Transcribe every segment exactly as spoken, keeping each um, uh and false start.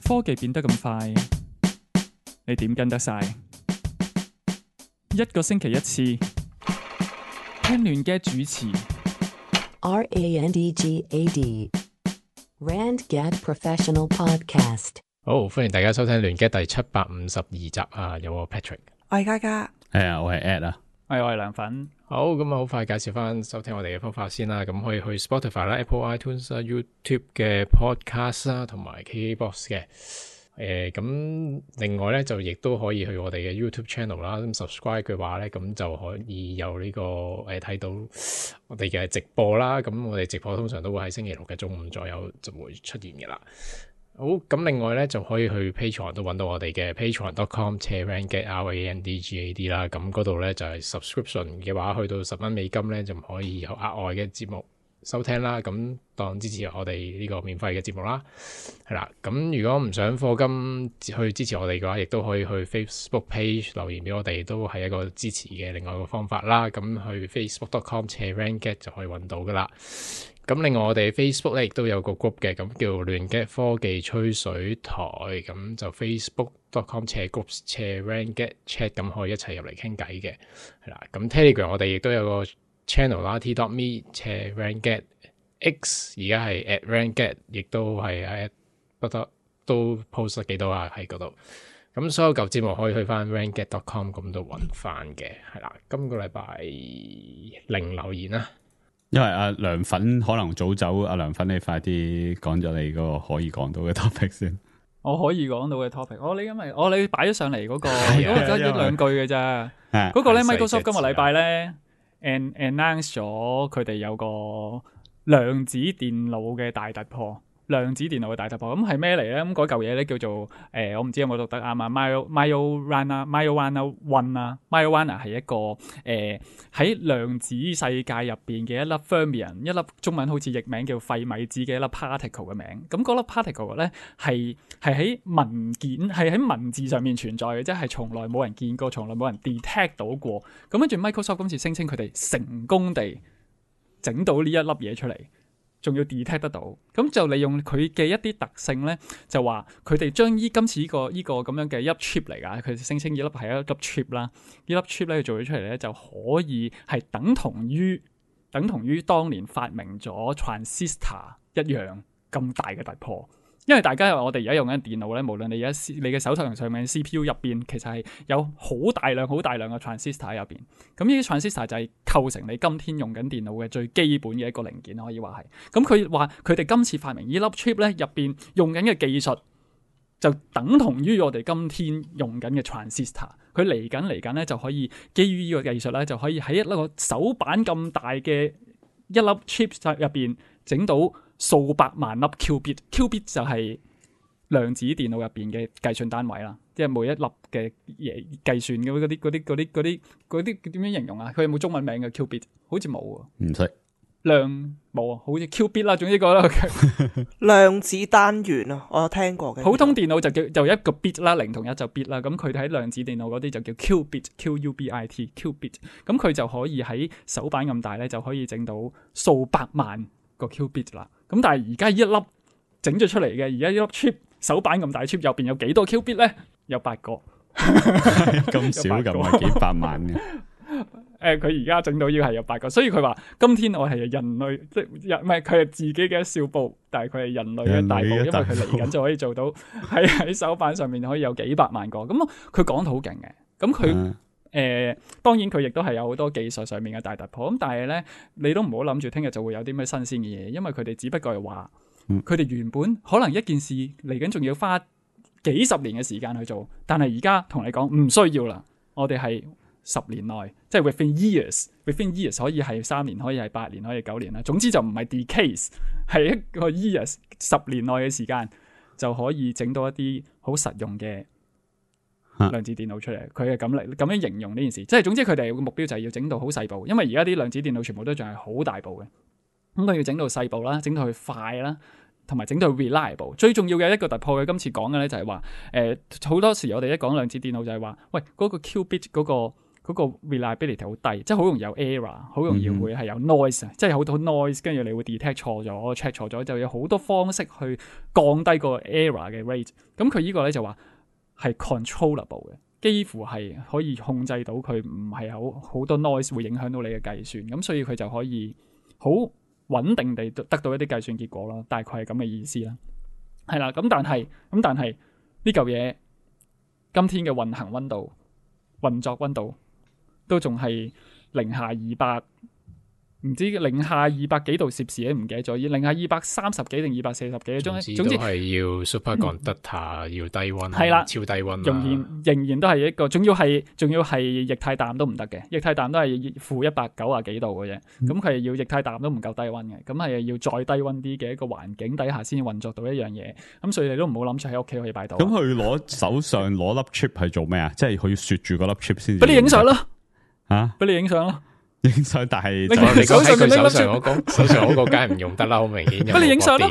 科技變得咁快，你點跟得晒？一個星期一次，聽亂嘅主持。R A N D G A D Rand Gad Professional Podcast。好，歡迎大家收聽亂嘅第七百五十二集啊！有我 Patrick，我係嘉嘉，係啊，我係 Ed 啊，係我係涼粉。好，咁啊，好快介紹翻收聽我哋嘅方法先啦。咁可以去 Spotify 啦、Apple iTunes 啦、YouTube 嘅 Podcast 啦，同埋 K K Box 嘅。誒，咁另外咧就亦都可以去我哋嘅 YouTube Channel 啦。咁 subscribe 嘅話咧，咁就可以有呢個誒睇到我哋嘅直播啦。咁我哋直播通常都會喺星期六嘅中午左右就會出現嘅啦。好，咁另外咧就可以去 Patreon 都揾到我哋嘅 patreon dot com slash randgad R A N D G A D 啦。咁嗰度咧就係 subscription 嘅話，去到十蚊美金咧就可以有額外嘅節目收聽啦。咁當支持我哋呢個免費嘅節目啦，係啦。咁如果唔想課金去支持我哋嘅話，亦都可以去 Facebook page 留言俾我哋，都係一個支持嘅另外一個方法啦。咁去 facebook dot com slash randgad 就可以揾到噶啦。咁另外我哋 Facebook 咧亦都有個 group 嘅，咁叫亂嘅科技吹水台，咁就 facebook dot com slash groups slash randgad chat， 咁可以一齊入嚟傾偈嘅，係啦。咁 Telegram 我哋亦都有個 channel 啦 ，t dot me slash randgad x， 而家係 at randgad， 亦都係喺不得都 post 得幾多啊喺嗰度。咁所有舊節目可以去翻 randgad dot com 咁度揾翻嘅，係啦。今個禮拜零留言啦。因為阿涼粉可能早走，阿涼粉你快啲講咗你嗰個可以講到嘅 topic 先。我可以講到嘅 topic，我你因為我你擺咗上嚟嗰個，嗰個得一兩句嘅咋。嗰個咧 Microsoft 今個禮拜咧 announce 咗佢哋有個量子電腦嘅大突破。量子電腦嘅大突破，咁係咩嚟咧？咁嗰嚿嘢咧叫做誒、呃，我唔知有冇讀得啱啊 Majorana Majorana One 啊 Majorana 係一個誒喺、呃、量子世界入邊嘅一粒 fermion， 一粒中文好似譯名叫費米子嘅一粒 particle 嘅名。咁嗰粒 particle 咧係係喺文件係喺文字上面存在嘅，即係從來冇人見過，從來冇人 detect 到過。咁跟住 Microsoft 今次聲稱佢哋成功地整到呢一粒嘢出嚟。仲要 detect 得到，咁就利用佢嘅一啲特性咧，就話佢哋將依今次呢、這個依、這個咁樣嘅一粒 chip 嚟㗎，佢聲稱呢粒係一粒 chip 啦，呢粒 chip 咧做咗出嚟咧就可以係等同於等同於當年發明咗 transistor 一樣咁大嘅突破。因為大家我哋而家用緊電腦咧，無論你而家你嘅手頭上面 C P U 入邊，其實係有好大量、好大量嘅 transistor 喺入邊。咁呢啲 transistor 就係構成你今天用緊電腦嘅最基本嘅一個零件，可以話係。咁佢話佢哋今次發明呢粒 chip 咧，入邊用緊嘅技術就等同於我哋今天用緊嘅 transistor。佢嚟緊嚟緊咧就可以基於呢個技術咧，就可以喺一個手板咁大嘅一粒 chip 入邊整到數百萬粒 qubit，qubit 就係量子電腦入邊嘅計算單位啦，即係每一粒嘅嘢計算嘅嗰啲嗰啲嗰啲嗰啲嗰啲點樣形容啊？佢有冇中文名嘅 qubit？ 好似冇啊，唔識量冇啊，好似 qubit 啦，總之個啦。量子單元啊，我有聽過嘅。普通電腦就叫就一個 bit 啦，零同一就 bit 啦。咁佢喺量子電腦嗰啲就叫 qubit，Q U B I T，qubit。咁佢就可以喺手板咁大咧，就可以整到數百萬個 qubit 啦。咁但係而家一粒整咗出嚟嘅，而家一粒 chip 手板咁大 chip 入邊有幾多 qubit 咧？有八個，咁少咁係幾百萬嘅。誒、呃，佢而家整到要係有八個，所以佢話今天我係人類，即係唔係佢係自己嘅一小步，但係佢係人類嘅大步，因為佢嚟緊就可以做到喺喺手板上面可以有幾百萬個。咁佢講得好勁嘅，咁佢。誒、呃，當然佢亦都係有好多技術上面嘅大突破，咁但係咧，你都唔好諗住聽日就會有啲咩新鮮嘅嘢，因為佢哋只不過係話，佢哋原本可能一件事嚟緊仲要花幾十年嘅時間去做，但係而家同你講唔需要啦，我哋係十年內，即係 within years，within years 可以係三年，可以係八年，可以係九年啦，總之就唔係 decades， 係一個 years 十年內嘅時間就可以整到一啲好實用嘅量子電腦出嚟，佢係咁嚟咁樣形容呢件事，即係總之佢哋個目標就係要整到好細部，因為而家啲量子電腦全部都仲係好大部嘅，咁佢要整到細部啦，整到佢快啦，同埋整到 reliable。最重要嘅一個突破，佢今次講嘅咧就係話，誒、呃、好多時我哋一講量子電腦就係話，喂嗰、嗰個 qubit 嗰、嗰個。嗰個 reliability 好低，即係好容易有 error， 好容易會係有 noise，、嗯、即係好多 noise， 跟住你會 detect 錯咗 check 錯咗，就有好多方式去降低個 error 嘅 rate。咁佢呢個咧就話係 controllable 嘅，幾乎係可以控制到佢唔係有好多 noise 會影響到你嘅計算，咁所以佢就可以好穩定地得到一啲計算結果啦。大概係咁嘅意思啦。係啦，咁但係咁但係呢嚿嘢今天嘅運行溫度、運作溫度都仲係零下二百，唔知零下二百幾度攝氏咧，唔記得咗，零下二百三十幾定二百四十幾，總之總之係要 superconductor、嗯、要低溫，係啦，超低溫，仍然仍然都係一個，仲要係仲要係液態氮都唔得嘅，液態氮都係負一百九啊幾度嘅啫，咁佢係要液態氮都唔夠低溫嘅，咁係要再低溫啲嘅一個環境底下先運作到一樣嘢，咁所以你都唔好諗住喺屋企可以擺到。咁佢攞手上攞粒 chip 係做咩啊？即係佢要雪住嗰粒 chip 先。俾你影相咯，吓，俾你影相咯。影相，但係你手上佢手上嗰個手上嗰個梗係唔用得啦，好明顯。不你影相咯，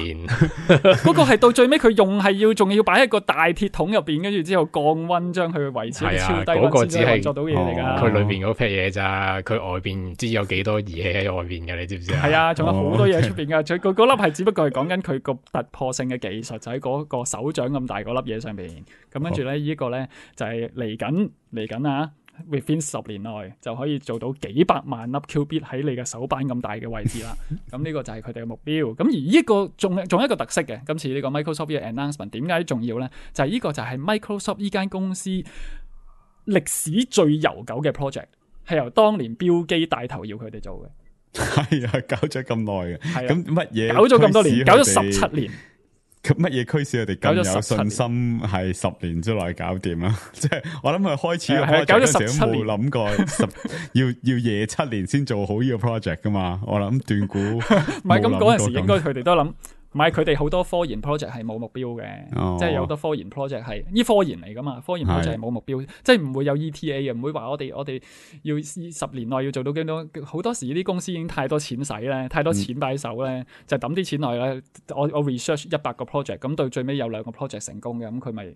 嗰個係到最尾佢用係要仲要擺喺個大鐵桶入邊，跟住之後降溫將佢維持喺超低溫先可以做到嘢嚟噶。佢裏邊嗰批嘢咋，佢外邊唔知有幾多儀器喺外邊嘅，你知唔知啊？係啊，仲有好多嘢喺出邊噶。佢佢嗰粒係只不過係講緊佢個突破性嘅技術，就喺嗰個手掌咁大嗰粒嘢上邊。咁跟住咧，呢個咧就係嚟緊嚟緊啊！within 十年內就可以做到幾百萬粒 qubit 喺你嘅手板咁大嘅位置啦。咁呢個就係佢哋嘅目標。咁而呢個仲仲有一個特色嘅，今次呢個 Microsoft 嘅 announcement 點解重要咧？就係、是、呢個就係 Microsoft 呢間公司歷史最悠久嘅 project， 係由當年標基帶頭要佢哋做嘅。係啊，搞咗咁耐嘅。係咁乜嘢？搞咗咁多年，搞咗十七年。咁乜嘢驅使佢哋咁有信心係十年之內搞掂啊？即係我諗佢開始個 project 嗰時都冇諗過十要要夜七年先做好呢個 project 噶嘛？我諗斷估唔係咁嗰陣時應該佢哋都諗。唔係佢哋好多科研 project 係冇目標嘅，哦、即係有好多科研 project 係呢科研嚟噶嘛，科研 project 係冇目標，是即係唔會有 E T A 嘅，唔會話我哋我哋要十年內要做到幾多。好多時呢啲公司已經太多錢使咧，太多錢擺手咧，嗯、就抌啲錢落去咧。我我 research 一百個 project， 咁到最尾有兩個 project 成功嘅，咁佢咪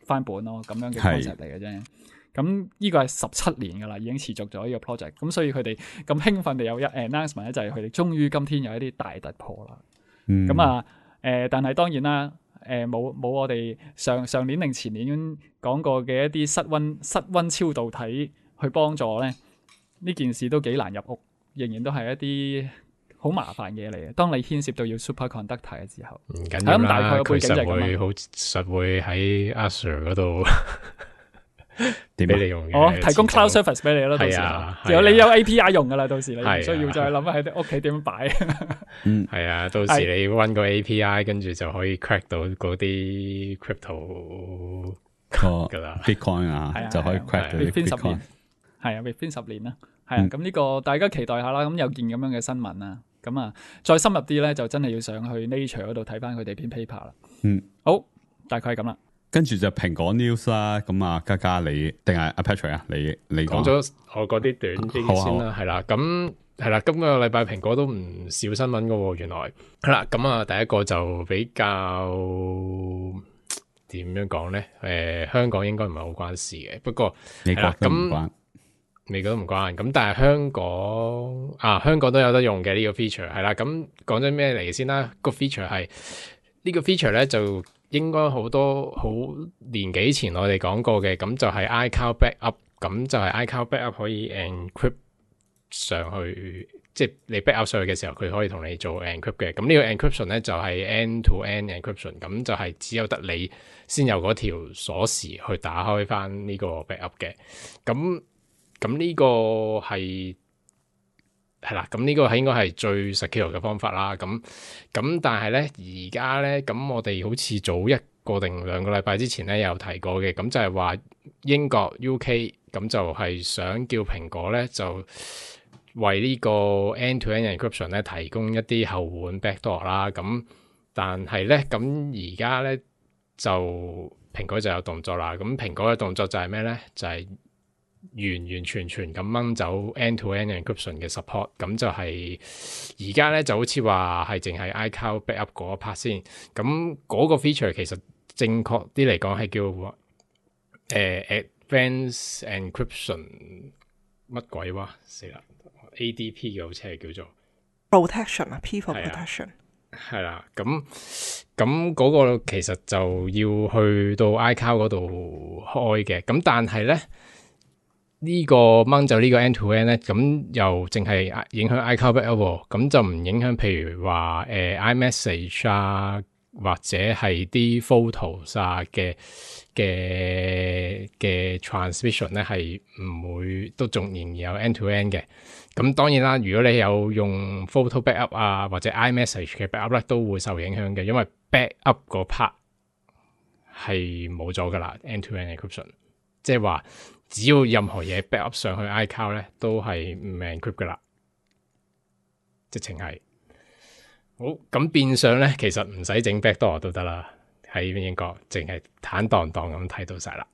翻本咯，咁樣嘅 concept 嚟嘅啫。咁呢個係十七年噶啦，已經持續咗呢個 project。咁所以佢哋咁興奮地有一 announcement 咧，就係佢哋終於今天有一啲大突破啦。咁、嗯、啊，誒、呃，但係當然啦，誒、呃，冇冇我哋上上年定前年講過嘅一啲室溫室溫超導體去幫助咧，呢件事都幾難入屋，仍然都係一啲好麻煩嘢嚟嘅。當你牽涉到要 superconductor 嘅時候，唔緊要啦，咁大概嘅背景就係咁啦。佢實會好實會喺 Azure 嗰度。點俾你用嘅？哦，提供 cloud service 俾你咯，到時有、啊、你有 A P I 用噶啦，到時你唔需要再諗喺屋企點樣擺。嗯，係啊，到時你搵個 A P I，跟住就可以 crack 到嗰啲 crypto 噶啦 ，Bitcoin 啊，就可以 crack 到 Bitcoin。係啊 ，within 十年啦，係啊，咁呢、嗯、個大家期待下啦。咁有件咁樣嘅新聞啊，咁啊，再深入啲咧，就真係要上去 Nature 嗰度睇翻佢哋篇 paper 啦。嗯，好，大概係咁啦。跟住就蘋果 news 啦，咁啊，嘉嘉你定係阿 Patrick 啊？你你講咗我嗰啲短啲先啦，係啦，咁係啦，今個禮拜蘋果都唔少新聞噶，原來係啦，咁啊，第一個就比較點樣講咧？誒、呃，香港應該唔係好關事嘅，不過美國都唔關，美國都唔關，咁但係香港啊，香港都有得用嘅呢、這個 feature 係啦，咁講咗咩嚟先啦？個 feature 係呢個 feature 咧就。應該好多好年幾前我哋講過嘅，咁就係 iCloud backup， 咁就係 iCloud backup 可以 encrypt 上去，即係你 backup 上去嘅時候，佢可以同你做 encrypt 嘅。咁呢個 encryption 咧就係 end-to-end encryption， 咁就係只有得你先有嗰條鎖匙去打開翻呢個 backup 嘅。咁咁呢個係。係啦，咁呢個係應該係最 secure 嘅方法啦。咁咁，但係咧而家咧，咁我哋好似早一個定兩個禮拜之前咧有提過嘅，咁就係話英國 U K 咁就係想叫蘋果咧就為呢個 end-to-end encryption 咧提供一啲後門 backdoor 啦。咁但係咧，咁而家咧就蘋果就有動作啦。咁蘋果嘅動作就係咩咧？就係、是完完全全咁掹走 end-to-end encryption 嘅 support， 咁就係而家咧就好似話係淨係 iCloud backup 嗰一 part 先，咁嗰個 feature 其實正確啲嚟講係叫誒、呃、advanced encryption 乜鬼話死啦 A D P 嘅好似係叫做 protection 啊 ，people protection 係啦，咁咁嗰個其實就要去到 iCloud 嗰度開嘅，咁但係咧呢、這個掹走呢個 end to end 咧，咁又淨係影響 iCloud backup，咁就唔影響譬如話誒、呃、iMessage 啊。或者係啲 photos 啊嘅嘅嘅 transmission 咧，係唔會都仲仍然有 end to end 嘅。咁當然啦，如果你有用 photo backup 啊或者 iMessage 嘅 backup 咧，都會受影響嘅，因為 backup 嗰 part 係冇咗噶啦 end to end encryption， 即係話只要任何嘢 backup 上去 iCloud 咧，都係唔 encrypt 噶啦，直情係。好，咁變相咧，其實唔使整 backdoor 都得啦。喺英國淨係坦蕩蕩咁睇到晒啦，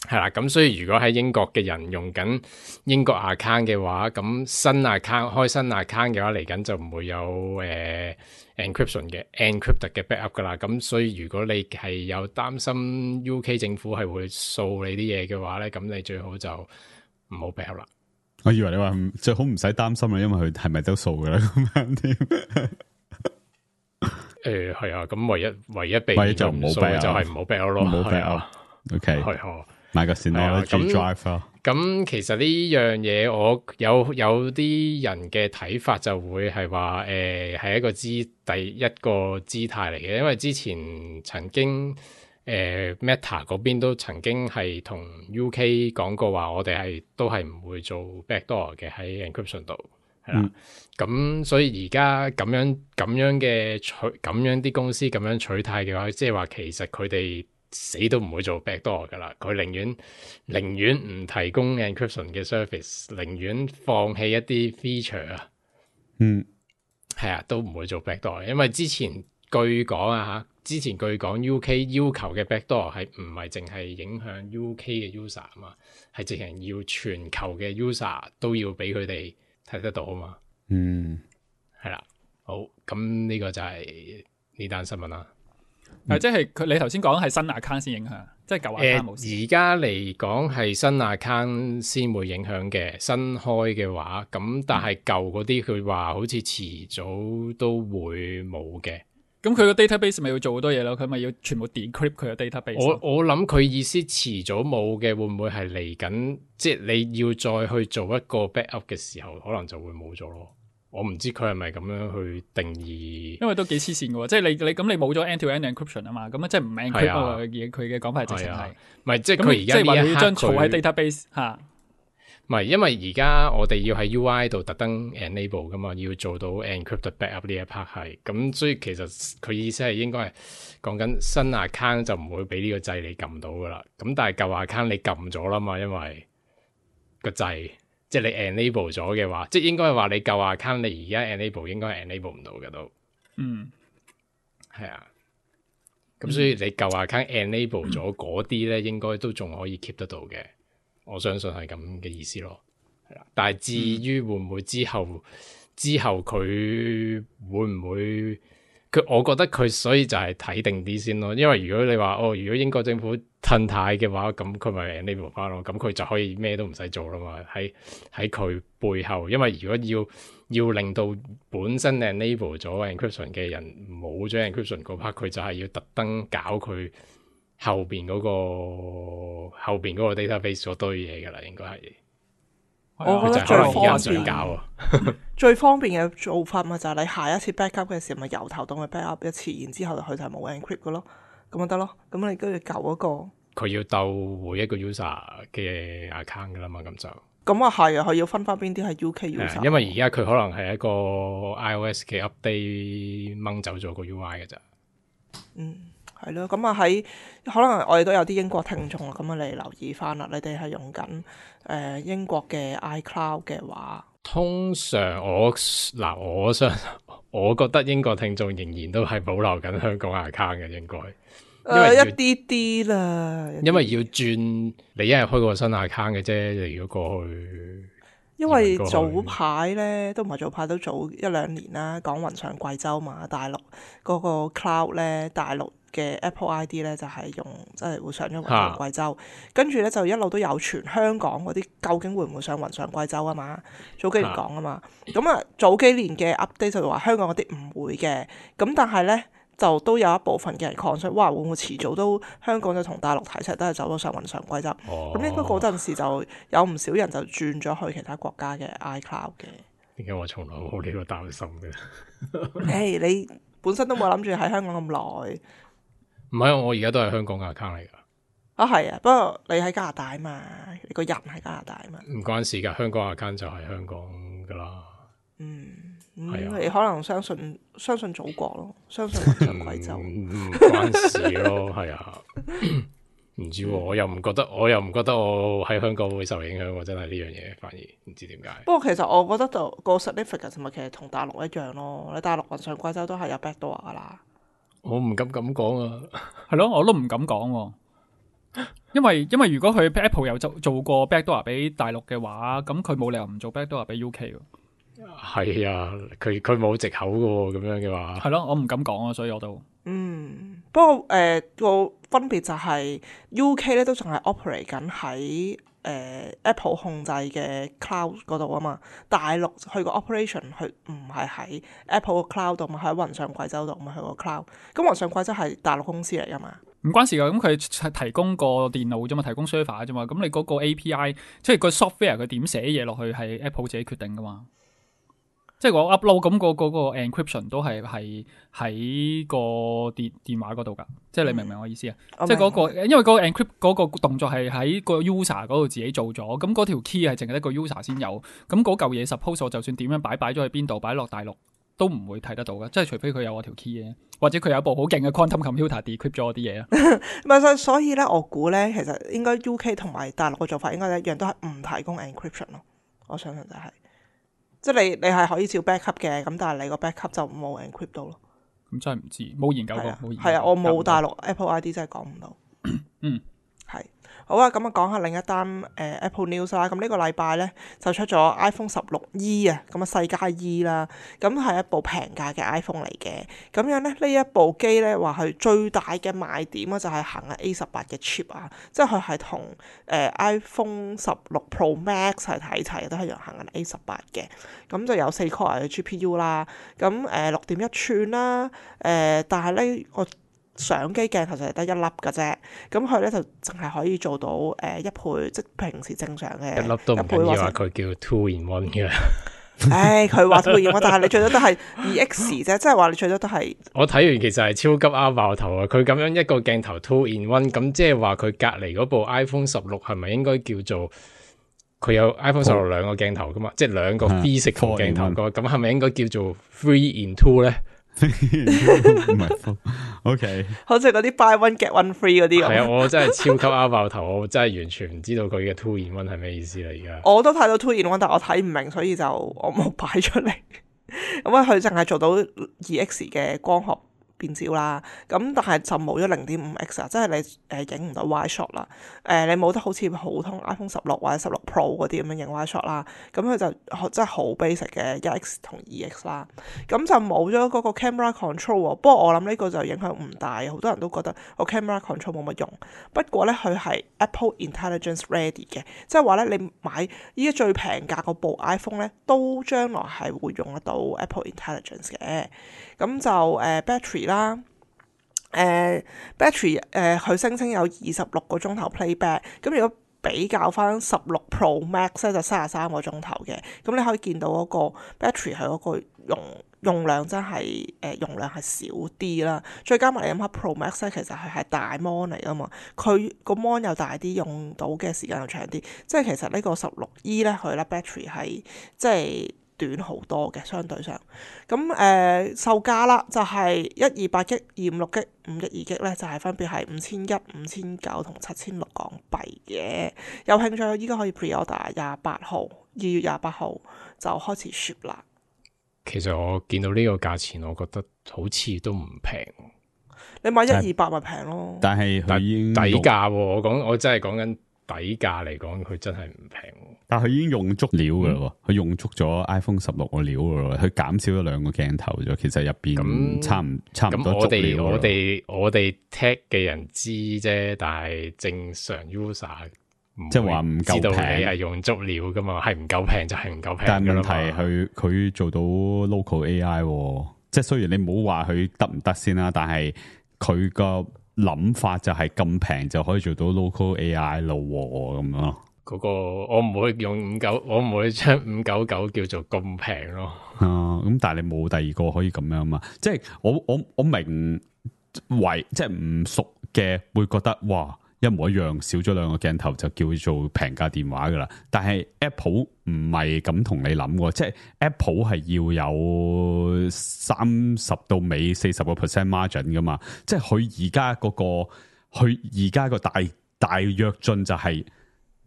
係啦。咁所以如果喺英國嘅人用緊英國 account 嘅話，咁新 account 開新 account 嘅話，嚟緊就唔會有誒、呃、encryption 嘅 encrypted 嘅 backup 噶啦。咁所以如果你係有擔心 U K 政府係會掃你啲嘢嘅話咧，咁你最好就唔好 backup 啦。我以為你話最好唔使擔心啦，因為佢係咪都掃噶啦咁樣添。誒係啊，咁唯一唯一避免就唔好 back 就係唔好 back 咯，唔好 back。OK，係買個 Synology drive 咯。咁其實呢樣嘢，我有有啲人嘅睇法就會係話誒係一個姿第一個姿態嚟嘅，因為之前曾經。誒、呃、Meta 嗰邊都曾經係同 U K 講過話，我哋係都係唔會做 backdoor 嘅喺 encryption 度，係啦。咁、嗯、所以而家咁樣咁樣嘅取咁樣啲公司咁樣取態嘅話，即係話其實佢哋死都唔會做 backdoor 噶啦。佢寧願寧願唔提供 encryption 嘅 service， 寧願放棄一啲 feature 啊。嗯，係啊，都唔會做 backdoor，因為之前據講啊嚇。之前據講 U K 要求嘅 backdoor 係唔係淨係影響 U K 嘅 user 啊嘛，係直情要全球嘅 user 都要俾佢哋睇得到啊嘛。嗯，係啦，好，咁呢個就係呢單新聞啦。啊、嗯，即係佢你頭先講係新 account 先影響，即係舊 account 冇事。而家嚟講係新 account 先會影響嘅，新開嘅話，咁但係舊嗰啲佢話好似遲早都會冇嘅。咁佢個 database 咪要做好多嘢咯，佢咪要全部 decrypt 佢個 database。我我諗佢意思遲早冇嘅，會唔會係嚟緊？即係你要再去做一個 backup 嘅時候，可能就會冇咗咯。我唔知佢係咪咁樣去定義，因為都幾黐線嘅喎。即係你你咁你冇咗 end to end encryption 啊嘛，咁啊即係唔 encrypt 啊嘢。佢嘅講法係直情係，唔係即係佢而家呢一刻要將儲喺 database 嚇。唔係，因為而家我哋要喺 U I 度特登 enable 噶嘛，要做到 encrypted backup 呢一 part 係，咁所以其實佢意思係應該係講緊新 account 就唔會俾呢個掣你撳到噶啦，咁但係舊 account 你撳咗啦嘛，因為個掣即係你 enable 咗嘅話，即係應該係話你舊 account 你而家 enable 應該係 enable 唔到嘅都，嗯，係啊，咁所以你舊 account enable 咗嗰啲咧，應該都仲可以 keep 得到嘅。我相信係咁嘅意思咯，係啦。但係至於會唔會之後、嗯、之後佢會唔會佢？我覺得佢所以就係睇定啲先咯。因為如果你話哦，如果英國政府褪軚嘅話，咁佢咪 enable 翻咯，咁佢就可以咩都唔使做啦嘛。喺喺佢背後，因為如果要要令到本身 enable 咗 encryption 嘅人冇咗 encryption 嗰 part，佢就係要特登搞佢。後邊嗰、那個後邊嗰個 database 嗰堆嘢噶啦，應該係。我覺得最方便搞啊，最方便嘅做法咪就係你下一次 backup 嘅時候，咪由頭到尾 backup 一次，然之後佢就冇 encrypt 嘅咯，咁咪得咯。咁你跟住舊嗰個，佢要鬥每一個 user 嘅 account 噶啦嘛，咁就。咁啊係啊，佢要分翻邊啲係 U K user。因為而家佢可能係一個 iOS 嘅 update 掹走咗個 U I 嘅咋。嗯。係咯，咁啊喺可能我哋都有啲英國聽眾啊，咁啊你留意翻啦，你哋係用緊誒、呃、英國嘅 iCloud 嘅話，通常我嗱我相我覺得英國聽眾仍然都係保留緊香港 account 嘅，應該，因為、呃、一啲啲啦，因為要轉你一日開個新 account 嘅啫，你如果過去。因為早排咧都唔係早排，都早一兩年啦，講雲上貴州嘛，大陸嗰個 cloud 咧，大陸嘅 Apple I D 咧就係、是、用即係會上咗雲上貴州，跟住咧就一路都有傳香港嗰啲究竟會唔會上雲上貴州啊嘛？早幾年講啊嘛，咁啊早幾年嘅 update 就話香港嗰啲唔會嘅，咁但係咧就都有一部分嘅人 concern，哇會唔會遲早都香港就同大陸睇齊都係走咗上雲上貴州？咁、哦、應該嗰陣時就有唔少人就轉咗去其他國家嘅 iCloud 嘅。點解我從來冇呢個擔心嘅？誒、hey, 你本身都冇諗住喺香港咁耐。唔係，我而家都係香港嘅 account 嚟噶。啊係啊，不過你喺加拿大啊嘛，你個人喺加拿大啊嘛。唔關事噶，香港 account 就係香港噶啦。嗯，嗯啊、你可能相信相信祖國咯，相信雲上貴州。唔、嗯、關事咯，係啊。唔知喎，我又唔覺得，我又唔覺得我喺香港會受影響喎，真係呢樣嘢，反而唔知點解。不過其實我覺得就個 certificate 咪其實同大陸一樣咯，你大陸雲上貴州都係有 backdoor 噶啦。我唔敢咁講啊，係咯，我都唔敢講，因為因為如果佢 Apple 有做做過 backdoor 俾大陸嘅話，咁佢冇理由唔做 backdoor 俾 U K 喎。係啊，佢佢冇藉口噶喎，咁樣嘅話。係咯，我唔敢講啊，所以我都。嗯，不過誒個、呃、分別就係 U K 咧都仲係 operate 緊喺誒 Apple 控制嘅 cloud 嗰度啊嘛，大陸佢個 operation 佢唔係喺 Apple 個 cloud 度嘛，喺雲上貴州度嘛，佢個 cloud。咁雲上貴州係大陸公司嚟噶嘛？唔關事噶，咁佢係提供個電腦啫嘛，提供 server 啫嘛，咁你嗰個 A P I 即係個 software 佢點寫嘢落去係 Apple 自己決定噶嘛。即係我 upload 咁個嗰個 encryption 都係係喺個電電話嗰度噶，即係你明唔明我意思啊？嗯、即係嗰、嗰個，因為嗰個 encrypt 嗰個動作係喺個 user 嗰度自己做咗，咁嗰條 key 係淨係一個 user 先有，咁嗰嚿嘢 suppose 我就算點樣擺擺咗喺邊度，擺落大陸都唔會睇得到噶，即係除非佢有我條 key 嘅，或者佢有一部好勁嘅 quantum computer decrypt 咗我啲嘢啊。唔係，所以咧，我估咧，其實應該 U K 同埋大陸嘅做法應該一樣，都係唔提供 encryption 咯。我相信就係、是。即係你你係可以照 backup 嘅，咁但係你個 backup 就冇 encrypt 到咯。咁真係唔知，冇研究過，冇研究過。係啊，我冇大陸 Apple I D 真係講唔到。嗯，係。好啊，咁啊講下另一單誒、呃、Apple News 啦。咁呢個禮拜咧就出咗 iPhone 十六 E 啊，咁啊細加 E 啦，咁係一部平價嘅 iPhone 嚟嘅。咁樣咧呢一部機咧話係最大嘅賣點啊，就係行緊 A 十八嘅 chip 啊，即係佢係同誒 iPhone 十六 Pro Max 係睇齊，都係用行緊 A 十八嘅。咁就有四 core 嘅 G P U 啦，咁誒六點一寸啦，誒、呃、但係咧我。相機鏡頭就係得一粒嘅啫，咁佢咧就淨係可以做到誒、呃、一倍，即係平時正常嘅一粒都唔緊要啊！佢叫 two in one 嘅。唉，佢話 two in one，但係你最多都係二 X 啫，即係話你最多都係。我睇完其實係超級啱爆頭啊！佢咁樣一個鏡頭 two in one，咁即係話佢隔離嗰部 iPhone 十六係咪應該叫做佢有 iPhone 十六兩個鏡頭噶嘛？哦、即係兩個 physical 鏡頭個，咁係咪應該叫做 three in two 咧？唔係，OK，好似嗰啲 buy one get one free 嗰啲咁。係啊，我真係超級啱爆頭，我真係完全唔知道佢嘅 two in one 係咩意思啦。而家我都睇到 two in one， 但我睇唔明，所以就我冇擺出嚟。咁啊，佢淨係做到二 X 嘅光學變焦啦，咁但係就冇咗零點五 X 啊，即係你誒影唔到 wide shot 啦，誒、呃、你冇得好似普通 iPhone 十六或者十六 Pro 嗰啲咁樣影 wide shot 啦，咁佢就真係好 basic 嘅一 X 同二 X 啦，咁就冇咗嗰個 camera control 喎。不過我諗呢個就影響唔大，好多人都覺得個 camera control 冇乜用。不過咧佢係 Apple Intelligence Ready 嘅，即係話咧你買依家最平價嗰部 iPhone 咧，都將來係會用得到 Apple Intelligence 嘅。咁就誒、呃、battery 啦，誒、呃、battery 誒、呃、佢聲稱有二十六個鐘頭 playback，咁如果比較翻十六 Pro Max 咧就三十三個鐘頭嘅，咁你可以見到嗰個 battery 係嗰個用用量真係誒、呃、用量係少啲啦，再加埋你諗下 Pro Max 咧，其實佢係大 mon 嚟噶嘛，佢個 mon 又大啲，用到嘅時間又長啲，即係其實呢個十六 E 咧佢咧 battery 係即係短好多嘅，相對上咁誒、呃、售價啦，就係一二八 G、二五六 G、五一二 G 咧，就係分別係五千一、五千九同七千六港幣嘅。有興趣依家可以 pre-order，廿八號二月廿八號就開始 ship 啦。其實我見到呢個價錢，我覺得好似都唔平。你買一二八咪平咯，但係佢已經底價喎。我講我真係講緊底價嚟講，佢真係唔平。但係佢已經用足料噶咯，佢、嗯、用足咗 iPhone 十六個料噶咯，佢減少咗兩個鏡頭咗，其實入邊差唔差唔多足料。咁我哋我哋我哋 tech 嘅人知啫，但係正常 user 即係話唔夠平，你係用足料噶嘛，係唔夠平就係唔夠平。但係問題係佢做到 local A I， 即係雖然你唔好話佢得唔得先啦，但係佢個諗法就係咁平就可以做到 local A I 咯，咁咯。嗰個我唔會用五九，我唔會將五九九叫做咁平咯。啊，咁但係你冇第二個可以咁樣嘛？即係我我我明為即係唔熟嘅會覺得哇，一模一樣，少咗兩個鏡頭就叫做平價電話噶啦。但係 Apple 唔係咁同你諗嘅，即係 Apple 係要有三十到尾四十個 percent margin 噶嘛。即係佢而家嗰個，佢而家個大大躍進就係、是。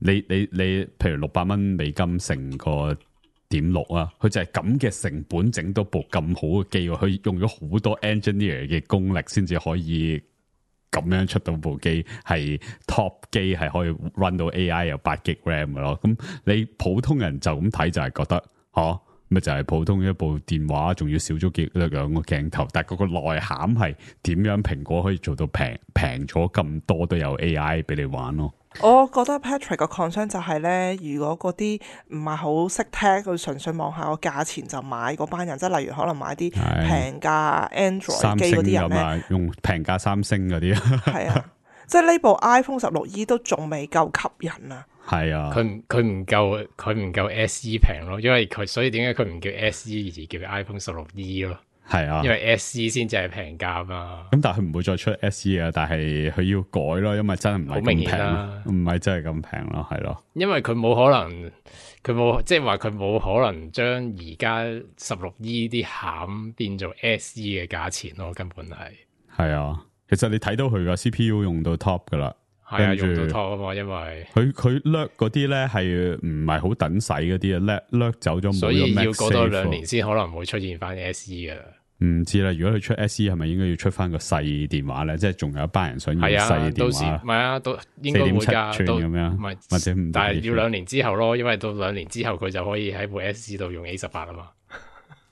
你你你，譬如六百蚊美金成個點六啊，佢就係咁嘅成本整到部咁好嘅機，佢用咗好多 engineer 嘅功力先至可以咁樣出到部機，係 top 機係可以 run 到 A I 有八 G RAM 嘅咯。咁你普通人就咁睇就係覺得，吓咪就係普通一部電話，仲要少咗幾兩個鏡頭，但係嗰個內涵係點樣？蘋果可以做到平平咗咁多都有 A I 俾你玩咯。我覺得 Patrick 個 concern 就係咧，如果嗰啲唔係好識聽，佢純粹望下個價錢就買嗰班人，即係例如可能買啲平價 Android 機嗰啲人咧，用平價三星嗰啲，係啊，即係呢部 iPhone 十六 E 都仲未夠吸引啊。係啊，佢唔佢唔夠佢唔夠 S E 平咯，因為佢所以點解佢唔叫 S E 而叫 iPhone 十六 E 咯？係啊，因為 S E 先至係平價嘛。咁但係佢唔會再出 S E 啊，但係佢要改咯，因為真係唔係咁平，唔係真係咁平咯，係咯。因為佢冇可能，佢冇即係話佢冇可能將而家十六 E 啲餡變做 S E 嘅價錢咯，根本係。係啊，其實你睇到佢個 C P U 用到 top 噶啦。係啊，用到 top 啊嘛，因為佢佢掠嗰啲咧係唔係好等使嗰啲啊，掠掠走咗，所以要過多兩年先可能會出現翻 S E 噶啦。唔知啦，如果佢出 S E 係咪應該要出翻個細電話咧？即係仲有一班人想要細電話，唔係啊，都應該會噶，四點七寸咁樣，唔係或者唔，但係要兩年之後咯，因為到兩年之後佢就可以喺部 S E 度用 A 十八啊嘛。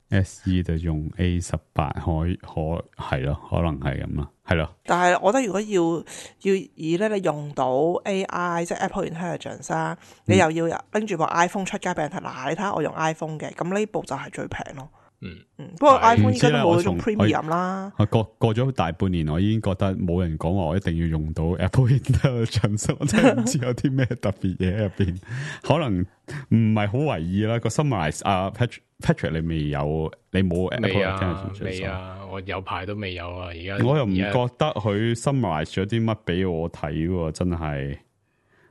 S E 就用 A 十八，可可係咯，可能係咁啦，係咯。但係我覺得如果要要以咧，你用到 A I 即係 Apple Intelligence 啊，嗯、你又要拎住部 iPhone 出街俾人睇，嗱，你睇下我用 iPhone 嘅，咁呢部就係最平咯。嗯嗯，不過 iPhone 依家都冇嗰種 premium 啦。過過咗大半年，我已經覺得冇人講話我一定要用到 Apple Intelligence，我真係唔知有啲咩特別嘢喺入邊，可能唔係好為意啦。個 summarize 啊 Patrick Patrick 你未有，你冇 Apple Intelligence？未啊，我有排都未有啊。而家我又唔覺得佢 summarize 咗啲乜俾我睇喎，真係，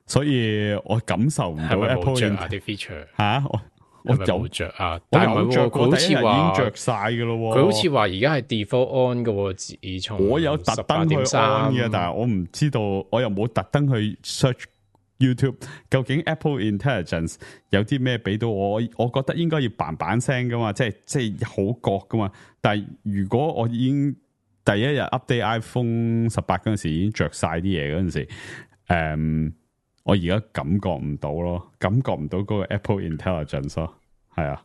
所以我感受唔到 Apple 啲 feature 吓我。我有着啊，但係唔係着，佢好似話已經着晒嘅咯。佢好似話而家係 default on 嘅，自從我有特登去 on 嘅，但係我唔知道，我又冇特登去 search YouTube， 究竟 Apple Intelligence 有啲咩俾到我？我覺得應該要嘭嘭聲噶嘛，即係即係好覺噶嘛。但係如果我已經第一日 update iPhone 十八嗰陣時已經着晒啲嘢嗰陣時，誒、嗯。我而家感覺唔到咯，感覺唔到嗰個 Apple Intelligence 咯，係啊，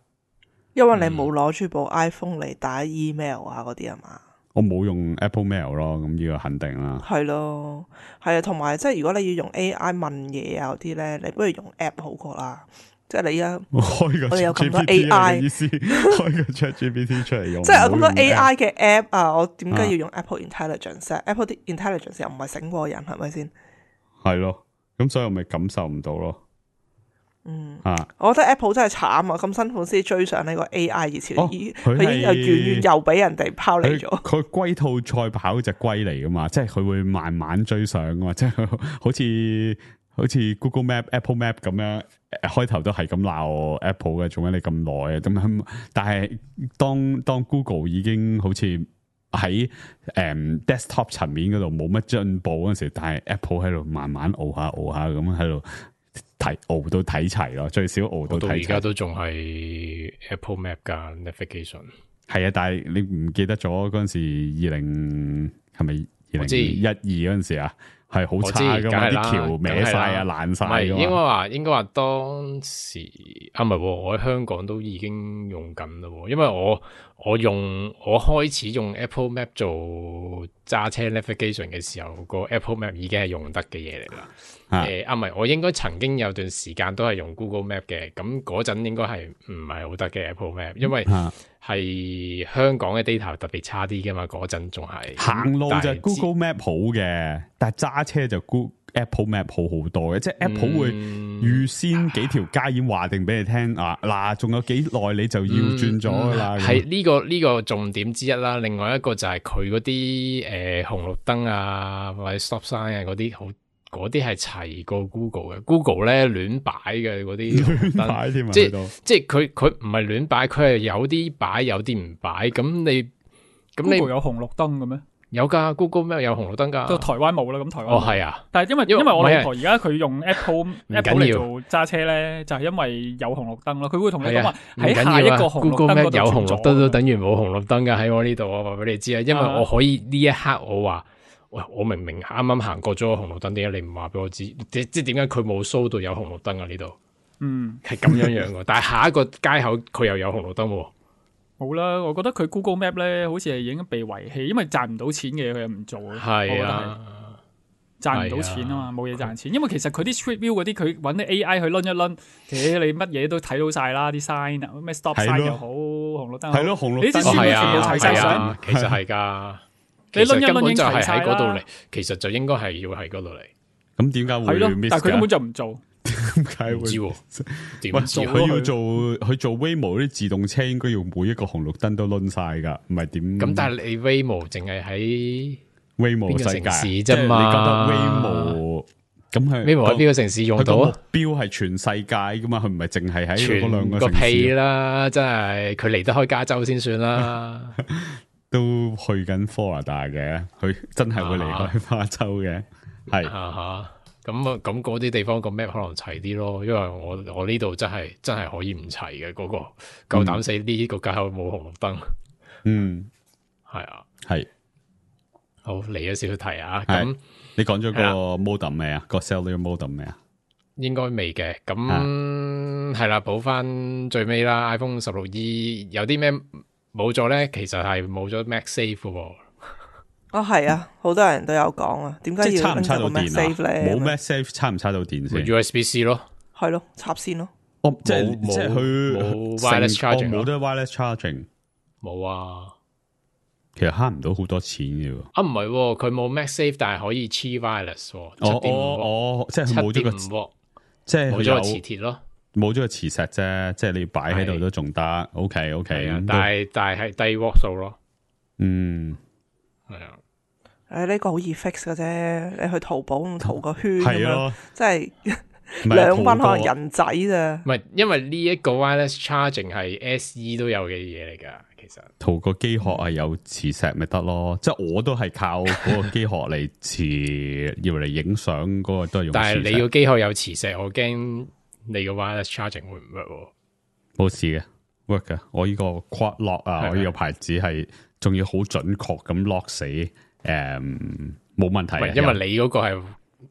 因為你冇攞住部 iPhone 嚟打 email 啊嗰啲啊嘛，我冇用 Apple Mail 咯，咁呢個肯定啦。係咯，係啊，同埋即係如果你要用 A I 問嘢啊嗰啲咧，你不如用 app 好過啦。即係你而家開個 我哋有咁多 A I 意思，開個 ChatGPT 出嚟用，即係有咁多 A I 嘅 app 啊，我點解要用 Apple Intelligence？Apple Intelligence 又唔係醒過人，係咪先？係咯。咁所以我咪感受唔到咯。嗯，啊，我覺得 Apple 真係慘啊！咁辛苦先追上呢個 A I 熱潮，佢、哦、已經又遠遠又俾人哋拋離咗。佢龜兔賽跑隻龜嚟噶嘛，即係佢會慢慢追上噶嘛，即係好似好似 Google Map、Apple Map 咁樣，開頭都係咁鬧 Apple 嘅，做咩你咁耐啊？咁樣，但係當當 Google 已經好似喺誒、嗯、desktop 層面嗰度冇乜進步嗰陣時，但係 Apple 喺度慢慢熬下熬下咁喺度睇熬到睇齊咯，最少熬到睇齊。而家都仲係 Apple Map 噶 Navigation。係啊，但係你唔記得咗嗰陣時二零係咪二零一二嗰陣時啊？係好差噶嘛，啲橋歪晒啊，爛晒。唔係應該話，應該話當時啊，唔係，我喺香港都已經用緊啦。因為我我用我開始用 Apple Map 做揸車 navigation 嘅時候，個 Apple Map 已經係用得嘅嘢嚟啦。誒啊，唔係、呃，我應該曾經有段時間都係用 Google Map 嘅，咁嗰陣應該係唔係好得嘅 Apple Map， 因為係香港嘅 data 特別差啲噶嘛，嗰陣仲係行路就 Google Map 好嘅，但係揸車就 Google Apple Map 好好多嘅，即係 Apple 會預先幾條街已經話定俾你聽、嗯、啊，嗱，仲有幾耐你就要轉咗噶啦。係呢個呢個重點之一啦，另外一個就係佢嗰啲誒紅綠燈啊或者 stop sign 啊嗰啲好。嗰啲係齊過 Google 嘅 ，Google 咧亂擺嘅嗰啲，亂擺添啊！即係即係佢佢唔係亂擺，佢係有啲擺，有啲唔擺。咁你咁你有紅綠燈嘅咩？有噶 ，Google 咩有紅綠燈噶？都台灣冇啦，咁台灣哦係啊。但係因為因為我老婆而家佢用 Apple Apple 嚟做揸車咧，就係因為有紅綠燈咯。佢會同你講話喺下一個紅綠燈嗰度 Google Map 有紅綠燈都等於冇紅綠燈噶。喺我呢度我話俾你知啊，因為我可以呢一刻我話。喂，我明明啱啱行過咗個紅綠燈，點解你唔話俾我知？即即點解佢冇 show 到有紅綠燈啊？呢度，嗯，係咁樣樣嘅。但係下一個街口佢又有紅綠燈喎。冇啦，我覺得佢 Google Map 咧，好似係已經被遺棄，因為賺唔到錢嘅佢又唔做。係啊，賺唔到錢啊嘛，冇嘢賺錢。因為其實佢啲 Street View 嗰啲，佢揾啲 A I 去掄一掄，誒你乜嘢都睇到晒啦，啲 sign 啊，咩 stop sign 又好，紅綠燈係咯，紅綠燈你啲書全部齊晒相，其實係㗎。你掄一掄根本就係喺嗰度嚟，其實就應該係要喺嗰度嚟。咁點解會 miss？但係佢根本就唔做，點解會？唔知喎，點知佢要做佢做 Waymo 啲自動車，應該要每一個紅綠燈都掄晒㗎，唔係點？咁但係你 Waymo 淨係喺 Waymo 世界啫嘛？你覺得 Waymo 咁係 Waymo 喺邊個城市用到啊？目標係全世界㗎嘛？佢唔係淨係喺嗰兩個城市。屁啦！真係佢離得開加州先算啦。都去緊 Florida 嘅，佢真係會離開加州嘅，係咁啊咁嗰啲地方個 map 可能齊啲咯，因為我我呢度真係真係可以唔齊嘅嗰個，夠膽死呢個街口冇紅綠燈，嗯，係啊，係好嚟咗少少題啊，咁你講咗個 modem 未啊？個 cellular modem 未啊？應該未嘅，咁係啦，補翻最尾啦 ，iPhone 十六 E 有啲咩？冇咗咧，其實係冇咗 MagSafe 喎。哦，係啊，好多人都有講啊。點解要插唔插到電啊？冇 MagSafe 插唔插到電先 ？U S B C 咯，係咯，插線咯。哦，即係即係佢冇 wireless charging，冇得 wireless charging。冇啊，其實慳唔到好多錢嘅。啊，唔係，佢冇 MagSafe，但係可以黐 wireless。哦哦哦，即係佢冇咗個，即係冇咗個磁鐵咯。冇咗個磁石啫，即係你要擺喺度都仲得。O K O K，但係但係係低瓦數咯。嗯，係啊。誒，呢個好易 fix 嘅啫，你去淘寶咁淘個圈係咯，即係兩蚊可能人仔咋。唔係，因為呢一個 wireless charging 係 S E 都有嘅嘢嚟噶。其實淘個機殼係有磁石咪得咯，即係我都係靠嗰個機殼嚟磁，要嚟影相嗰個都係用。但係你個機殼有磁石，我驚。你個 wireless charging 會唔 work？冇事嘅 ，work 嘅。我呢個 quad lock 啊，我呢個牌子係仲要好準確咁 lock 死，誒、嗯，冇問題。因為你嗰個係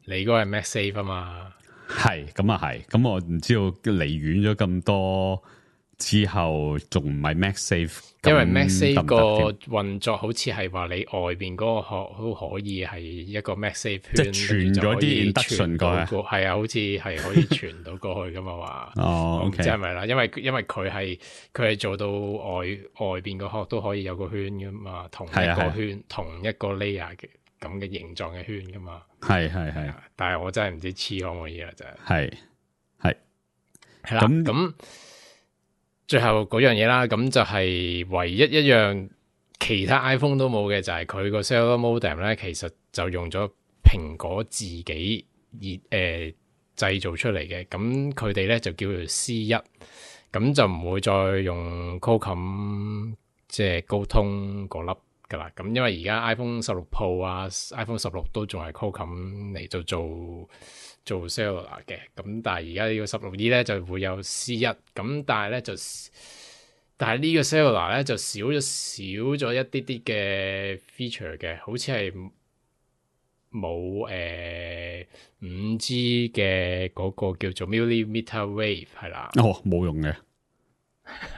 你嗰個係 MagSafe 啊嘛。係咁啊係，咁我唔知道離遠咗咁多之後，仲唔係 MagSafe？因為 MagSafe 個運作好似係話你外邊嗰個殼都可以係一個 MagSafe 圈，即係傳咗啲 induction 過去，係啊，好似係可以傳到過去噶嘛話。哦，唔知係咪啦？因為因為佢係佢係做到外外邊個殼都可以有個圈噶嘛，同一個圈、啊、同一個 layer 嘅咁嘅形狀嘅圈噶嘛。係係係，但係我真係唔知黐可唔可以啦，真係。係係係啦，咁咁。最後嗰樣嘢啦，咁就係唯一一樣其他 iPhone 都冇嘅，就係佢個 cellular modem 咧，其實就用咗蘋果自己熱誒製造出嚟嘅，咁佢哋咧就叫做 C 一，咁就唔會再用 Qualcomm 即係高通嗰粒噶啦，咁因為而家 iPhone 十六 Pro 啊 ，iPhone 十六都仲係 Qualcomm 嚟做做。做 cellular 嘅，咁但係而家呢個十六 E 咧就會有 C 一，咁但係咧就，但係呢個 cellular 咧就少咗少咗一啲啲嘅 feature 嘅，好似係冇誒五 G 嘅嗰個叫做 millimeter wave 係啦。哦，冇用嘅。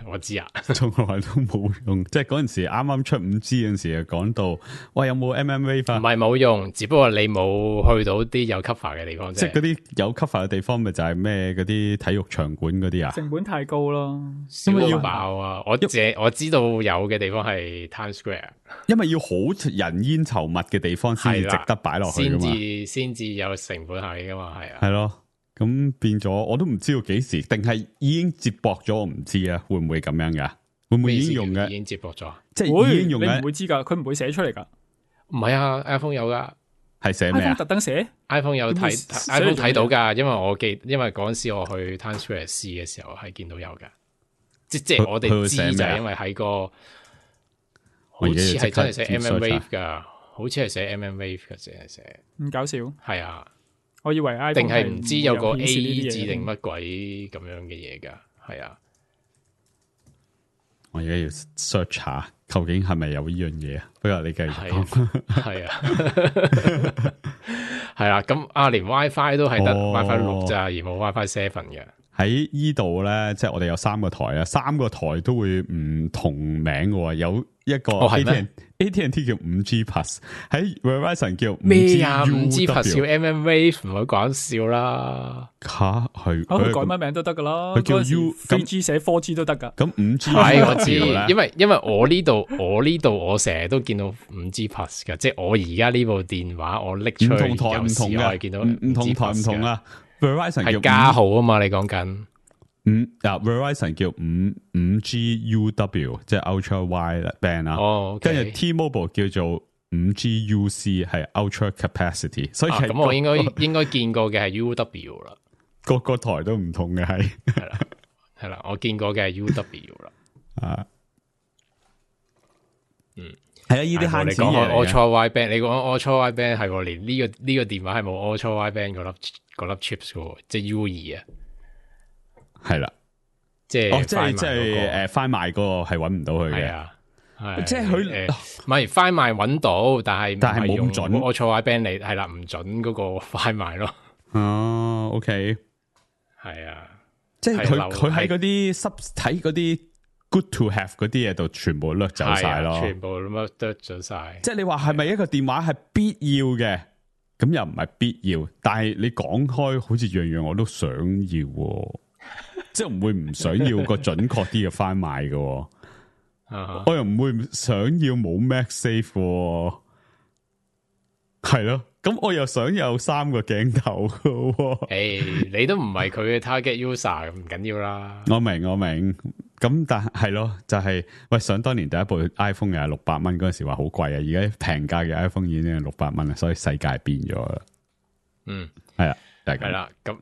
我知啊，從來都冇用，即係嗰陣時啱啱出五 G 嗰陣時，就講到，喂有冇 M M Wave？ 唔係冇用，只不過你冇去到啲有 cover 嘅地方啫。即係嗰啲有 cover 嘅地方，咪就係咩嗰啲體育場館嗰啲啊？成本太高咯，因為要爆啊！我借我知道有嘅地方係 Times Square，因為要好人煙稠密嘅地方先至值得擺落去噶嘛，先至先至有成本效益噶嘛，係啊，係咯。咁變咗，我都唔知道幾時，定係已經接駁咗，我唔知啊，會唔會咁樣噶？會唔會已經用嘅？已經接駁咗，即係已經用嘅。你唔會知噶，佢唔會寫出嚟噶。唔係啊 ，iPhone 有噶，係寫咩啊？特登寫 iPhone 有睇 ，iPhone 睇到噶，因為我記，因為嗰陣時我去 Times Square 試嘅時候係見到有噶，即即係我哋知就係因為喺個，好似係真係寫 M M Wave 噶，好似係寫 M M Wave 嘅，淨係寫。咁搞笑。係啊。我以為 iPhone 定係唔知有個 A 字定乜鬼咁樣嘅嘢噶，係啊！我而家要 search 下，究竟係咪有呢樣嘢啊？不過你繼續講，係啊，係啊，咁啊，連 WiFi 都係得 WiFi 六咋，而冇 WiFi seven 嘅。喺呢度咧，即係我哋有三個台啊，三個台都會唔同名嘅，有一個 A T and A T and T 叫五 G Plus， 喺 Verizon 叫咩啊？五 G Plus 叫 M M Wave， 唔好講笑啦。吓係，佢改乜名都得噶啦。佢叫 U， 三 G 寫 四 G 都得噶。咁五 G 係我知，因為因為我呢度我呢度我成日都見到五 G Plus 噶，即係我而家呢部電話我拎出去，唔同台唔同嘅，見到唔同台唔同啊。Verizon 係加號啊嘛，你講緊五啊 Verizon 叫五五 G U W， 即係 Ultra Wide Band 啊。哦，跟住 T-Mobile 叫做五 G U C， 係 Ultra Capacity。所以咁我應該應該見過嘅係 U W 啦，個個台都唔同嘅係係啦係啦，我見過嘅係 U W 啦。啊，嗯，係啊，呢啲慳錢嘢嚟嘅。Ultra Wide Band，你講 Ultra Wide Band 係連呢個呢個電話係冇 Ultra Wide Band 嗰粒嗰粒 chips 嘅，即係 U 二啊。係啦，即係、哦，即係即係誒，快賣嗰個係搵唔到佢嘅，係啊，即係佢唔係快賣搵到，但係但係冇咁準，我錯 band 你係啦，唔準嗰個快賣咯。哦 ，OK， 係啊，即係佢佢喺嗰啲濕睇嗰啲 good to have 嗰啲嘢度，全部掠走晒咯，全部咁樣掠走晒。即係你話係咪一個電話係必要嘅？咁又唔係必要，但係你講開，好似樣樣我都想要。即係唔會唔想要個準確啲嘅翻賣嘅， uh-huh. 我又唔會想要冇 MagSafe 嘅，係咯。咁我又想有三個鏡頭嘅，誒，hey, 你都唔係佢嘅 target user， 唔緊要啦。我明我明，咁但係係咯，就係、是、喂，想當年第一部 iPhone 又係六百蚊嗰陣時話好貴啊，而家平價嘅 iPhone 已經係六百蚊啦，所以世界變咗啦。嗯，係啦，係係啦，咁。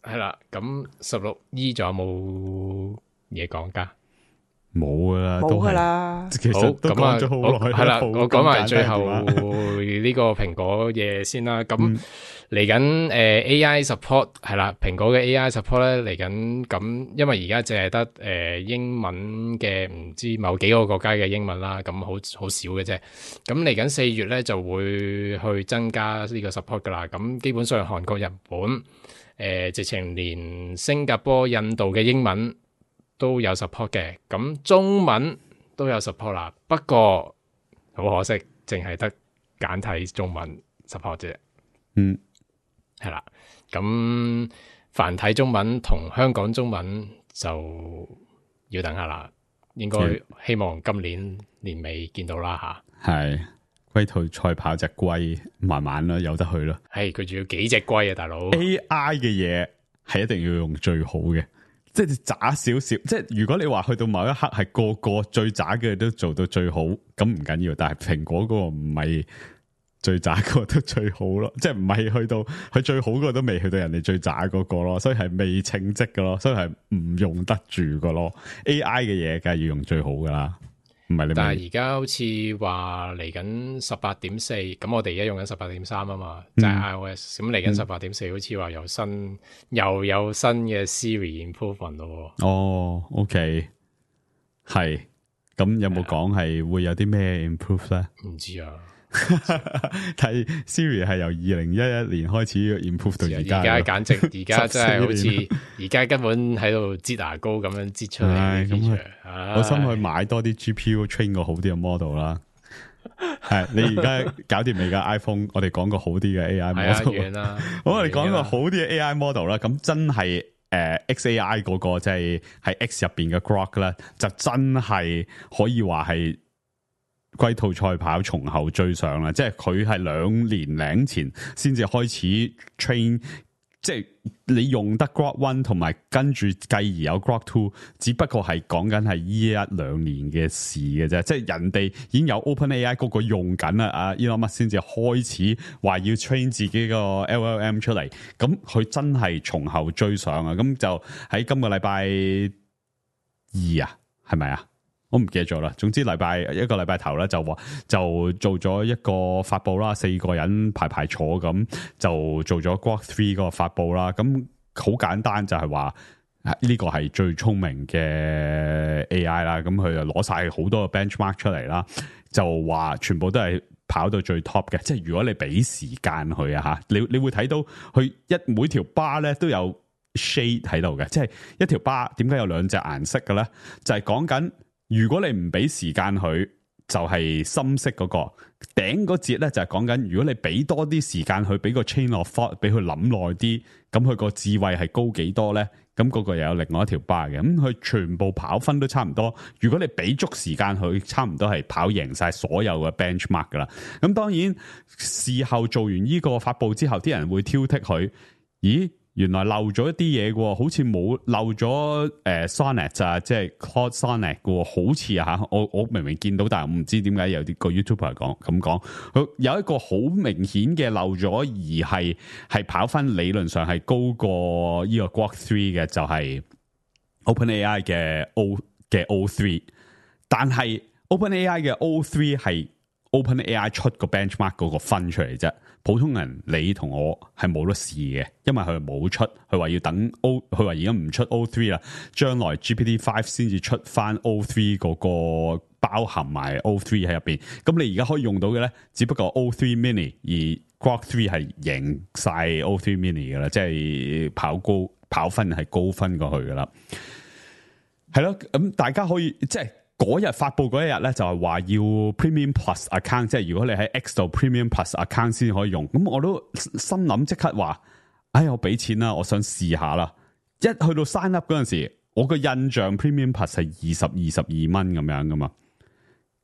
係啦，咁十六 E 仲有冇嘢講噶？冇噶啦，冇噶啦。其實都講咗好耐。係啦，我講埋最後呢個蘋果嘢先啦。咁嚟緊誒 A I support 係啦，蘋果嘅 A I support 咧嚟緊。咁因為而家淨係得誒英文嘅，唔知某幾個國家嘅英文啦，咁好好少嘅啫。咁嚟緊四月咧就會去增加呢個 support 噶啦。咁基本上韓國、日本。誒、呃，直情連新加坡、印度嘅英文都有 support 嘅，咁中文都有 support 啦。不過好可惜，淨係得簡體中文 support 啫。嗯，係啦。咁繁體中文同香港中文就要等下啦。應該希望今年年尾見到啦吓。係。龜兔賽跑隻龜，慢慢啦，有得去啦。係佢仲要幾隻龜啊，大佬 ！A I 嘅嘢係一定要用最好嘅，即係渣少少。即係如果你話去到某一刻係個個最渣嘅都做到最好，咁唔緊要。但係蘋果嗰個唔係最渣嗰個都最好咯，即係唔係去到佢最好嗰個都未去到人哋最渣嗰個咯，所以係未稱職噶咯，所以係唔用得住噶咯。A I 嘅嘢梗係要用最好噶啦。但係而家好似話嚟緊十八點四，咁我哋而家用緊十八點三啊嘛，就係、是、iOS。咁嚟緊十八點四，好似話有新又有新嘅 Siri improvement 咯。哦 ，OK， 係。咁有冇講係會有啲咩 improve 咧？唔知啊，睇 Siri 係由二零一一年開始 improve 到而家，而家簡直而家真係好似而家根本喺度擠牙膏咁樣擠出嚟。咁我想去買多啲 G P U train 個好啲嘅 model 啦。係你而家搞掂未㗎 iPhone？ 我哋講個好啲嘅 A I model 啦。好，我哋講個好啲嘅 A I model 啦。咁真係誒 X A I 嗰個即係喺 X 入邊嘅 Grok 咧，就真係可以話係龜兔賽跑，從後追上啦。即係佢係兩年零前先至開始 train， 即係你用得 Grok One 同埋跟住繼而有 Grok Two， 只不過係講緊係依一兩年嘅事嘅啫。即係人哋已經有 OpenAI 嗰個用緊啦，阿 Elon Musk 先至開始話要 train 自己個 L L M 出嚟，咁佢真係從後追上啊！咁就喺今個禮拜二啊，係咪啊？我唔記得咗啦。總之禮拜一個禮拜頭咧就話就做咗一個發佈啦，四個人排排坐咁就做咗 Grok Three 嗰個發佈啦。咁好簡單就係話呢個係最聰明嘅 A I 啦。咁佢就攞晒好多個 benchmark 出嚟啦，就話全部都係跑到最 top 嘅。即係如果你俾時間佢啊吓，你你會睇到佢一每條 bar 咧都有 shade 喺度嘅。即係一條 bar 點解有兩隻顏色嘅咧？就係講緊。如果你唔俾時間佢，就係、是、深色嗰、那個頂嗰節咧，就係講緊如果你俾多啲時間佢，俾個 chain of thought 俾佢諗耐啲，咁佢個智慧係高幾多咧？咁、那、嗰個又有另外一條 bar 嘅，咁佢全部跑分都差唔多。如果你俾足時間佢，差唔多係跑贏晒所有嘅 benchmark 噶啦。咁當然事後做完呢個發佈之後，啲人會挑剔佢，咦？原來漏咗一啲嘢嘅，好似冇漏咗誒 Sonnet 啊，即係 Claude Sonnet 嘅，好似啊吓，我我明明見到，但係我唔知點解有啲個 YouTuber 講咁講，佢有一個好明顯嘅漏咗，而係係跑分理論上係高過呢個 Grok Three 嘅，就係 OpenAI 嘅 O 嘅 O Three， 但係 OpenAI 嘅 O Three 係 OpenAI 出個 benchmark 嗰個分出嚟啫。普通人你同我係冇得試嘅，因為佢冇出，佢話要等 O， 佢話而家唔出 O Three 啦，將來 G P T Five 先至出翻 O Three 嗰個包含埋 O Three 喺入邊。咁你而家可以用到嘅咧，只不過 O Three Mini， 而 Grok Three 係贏晒 O Three Mini 噶啦，即係跑高跑分係高分過去噶啦。係咯，咁大家可以即係。嗰日發佈嗰一日咧，就係話要 Premium Plus account， 即係如果你喺 X 度 Premium Plus account 先可以用。咁我都心諗即刻話，哎，我俾錢啦，我想試下啦。一去到 sign up 嗰陣時，我個印象 Premium Plus 係二十二十二蚊咁樣噶嘛。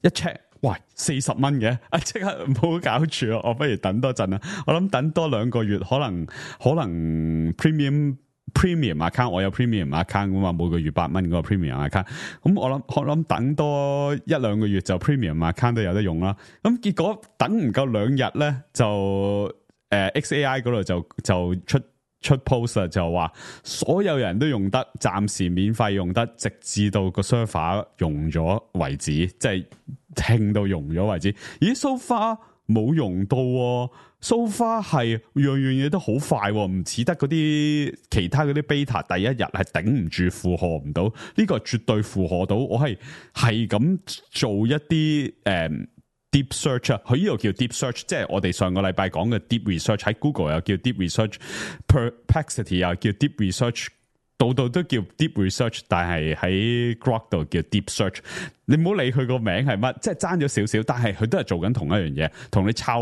一 check， 喂，四十蚊嘅，啊，即刻唔好搞住啊！我不如等多陣啦。我諗等多兩個月，可能可能 Premium。Premium account 我有 Premium account 噶嘛，每個月八蚊嗰個 Premium account， 咁我諗我諗等多一兩個月就 Premium account 都有得用啦。咁結果等唔夠兩日咧，就誒、呃、X A I 嗰度就就出出 post 就話所有人都用得，暫時免費用得，直至到個 server 用咗為止，即係聽到用咗為止。咦 so far 冇用到喎。So far 係樣樣嘢都好快，唔似得嗰啲其他嗰啲 beta 第一日係頂唔住，負荷唔到。呢個絕對負荷到。我係係咁做一啲誒、um, deep search 啊，佢呢度叫 deep search， 即係我哋上個禮拜講嘅 deep research， 喺 Google 又叫 deep research，Perplexity 又叫 deep research， 度度都叫 deep research， 但係喺 Grok 度叫 deep search。你唔好理佢個名係乜，即係爭咗少少，但係佢都係做緊同一樣嘢，同你抄，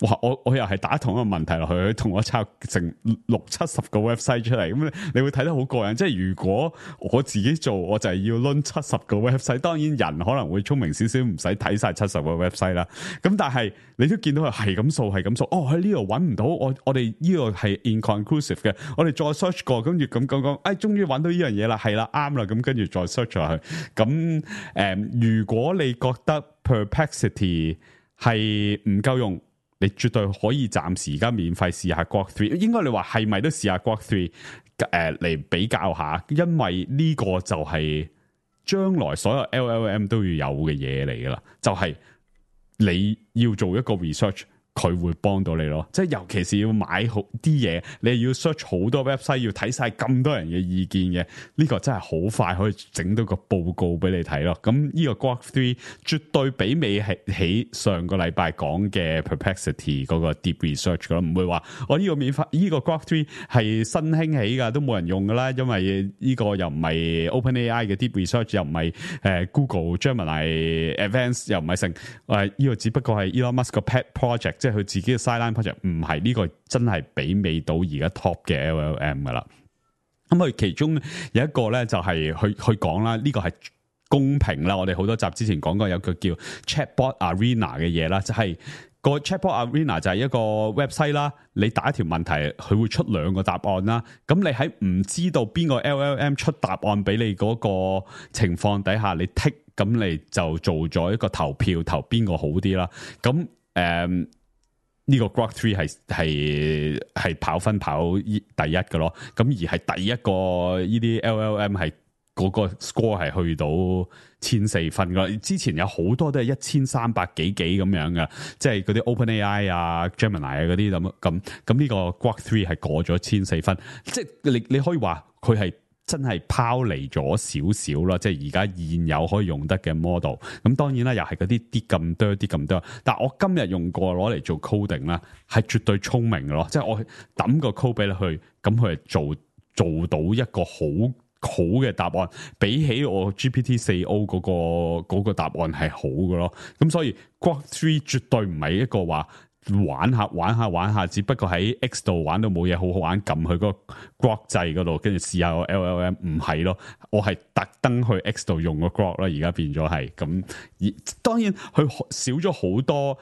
哇！我我又係打同一個問題落去，佢同我抄成六七十個 website 出嚟，咁你會睇得好過癮。即係如果我自己做，我就係要掄七十個 website。當然人可能會聰明少少，唔使睇晒七十個 website 啦。咁但係你都見到佢係咁掃，係咁掃。哦，喺呢度揾唔到，我我哋呢個係 inconclusive 嘅，我哋再 search 過，跟住咁講講，哎，終於揾到呢樣嘢啦，係啦，啱啦，咁跟住再 search 落去，咁誒。嗯如果你覺得 Perplexity 係唔夠用，你絕對可以暫時而家免費試下 Grok Three。應該你話係咪都試下 Grok Three 誒嚟比較下？因為呢個就係將來所有 L L M 都要有嘅嘢嚟噶啦，就係、是、你要做一個 research，佢會幫到你咯，即係尤其是要買好啲嘢，你要 search 好多 website， 要睇晒咁多人嘅意見嘅，呢、這個真係好快可以整到個報告俾你睇咯。咁呢個 Grok 三絕對媲美係起上個禮拜講嘅 Perplexity 嗰個 deep research 噶咯，唔會話我呢個免費呢個 Grok 三係新興起噶，都冇人用噶啦，因為呢個又唔係 OpenAI 嘅 deep research， 又唔係誒 Google Gemini Advanced， 又唔係成誒呢個只不過係 Elon Musk 個 pet project。即係佢自己嘅 sideline project， 唔係呢個真係媲美到而家 top 嘅 L L M 噶啦。咁佢其中有一個咧就係去去講啦，呢個係公平啦。我哋好多集之前講過有個叫 Chatbot Arena 嘅嘢啦，就係個 Chatbot Arena 就係一個 website 啦。你打一條問題，佢會出兩個答案啦。咁你喺唔知道邊個 L L M 出答案俾你嗰個情況底下，你剔咁你就做咗一個投票，投邊個好啲啦。咁誒。呢個 Grok 三係係係跑分跑第一嘅咯，咁而係第一個呢啲 L L M 係嗰個 score 係去到千四分嘅，之前有好多都係一千三百幾幾咁樣嘅，即係嗰啲 OpenAI 啊、Gemini 啊嗰啲咁咁，咁呢個 Grok 三係過咗千四分，即係你你可以話佢係。真係拋離咗少少啦，即係而家現有可以用得嘅 model。咁當然啦，又係嗰啲啲咁多啲咁多。但係我今日用過攞嚟做 coding 啦，係絕對聰明嘅咯。即係我抌個 code 俾你去，咁佢係做做到一個好好嘅答案，比起我 G P T 四 O 嗰個嗰個答案係好嘅咯。咁所以 Grok 三絕對唔係一個話。玩下玩下玩下，只不過喺 X 度玩到冇嘢好好玩，撳去個 Grok 掣嗰度，跟住試下個 L L M， 唔係咯，我係特登去 X 度用個 Grok 啦，而家變咗係咁。而當然佢少咗好多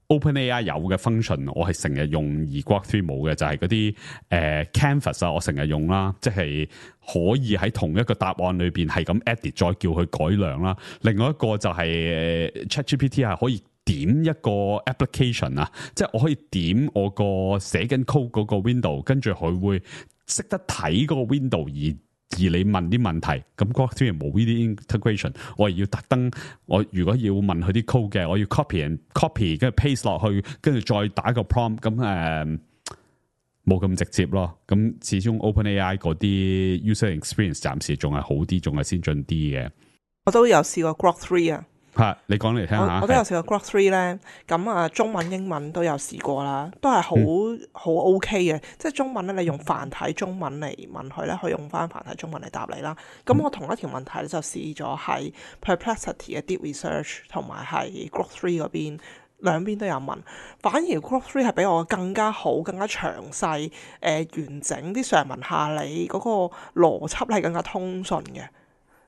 OpenAI 有嘅 function， 我係成日用而 Grok 三冇嘅，就係嗰啲誒 Canvas 啊，我成日用啦，即係可以喺同一個答案裏邊係咁 edit，再叫佢改良啦。另外一個就係 ChatGPT 係可以。點一個 application 啊，即係我可以點我個寫緊 code 嗰個 window， 跟住佢會識得睇嗰個 window 而而你問啲問題，咁 Grok 三冇呢啲 integration， 我係要特登，我如果要問佢啲 code 嘅，我要 copy and copy 跟住 paste 落去，跟住再打個 prompt， 咁誒冇咁直接咯。咁始終 OpenAI 嗰啲 user experience 暫時仲係好啲，仲係先進啲嘅。我都有試過 Grok 三啊。吓，你講嚟聽下。我，我都有試過 Grok 三咧，咁啊中文英文都有試過啦，都係好好 OK 嘅。即係中文咧，你用繁體中文嚟問佢咧，佢用翻繁體中文嚟答你啦。咁我同一條問題咧就試咗係 Perplexity 嘅 Deep Research 同埋係 Grok 三嗰邊，兩邊都有問。反而 Grok 三係比我更加好、更加詳細、誒、呃、完整啲上文下理嗰個邏輯係更加通順嘅。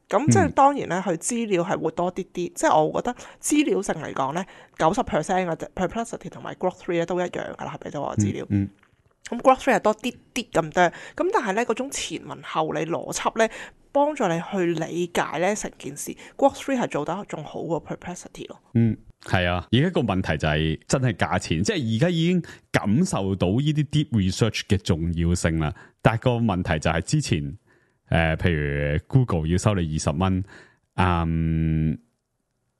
咁即係當然咧，佢資料係會多啲啲，嗯、即係我覺得資料性嚟講咧，九十 percent 嘅 Perplexity 同埋 Grok 三咧都一樣噶啦，係俾到我資料。咁、嗯嗯、Grok 三係多啲啲咁多，咁但係咧嗰種前文後理邏輯咧，幫助你去理解咧成件事。Grok 三係做得仲好過 Perplexity 咯。嗯，係啊，而家個問題就係真係價錢，即係而家已經感受到呢啲 deep research 嘅重要性啦。但係個問題就係之前。誒、呃，譬如 Google 要收你二十蚊，嗯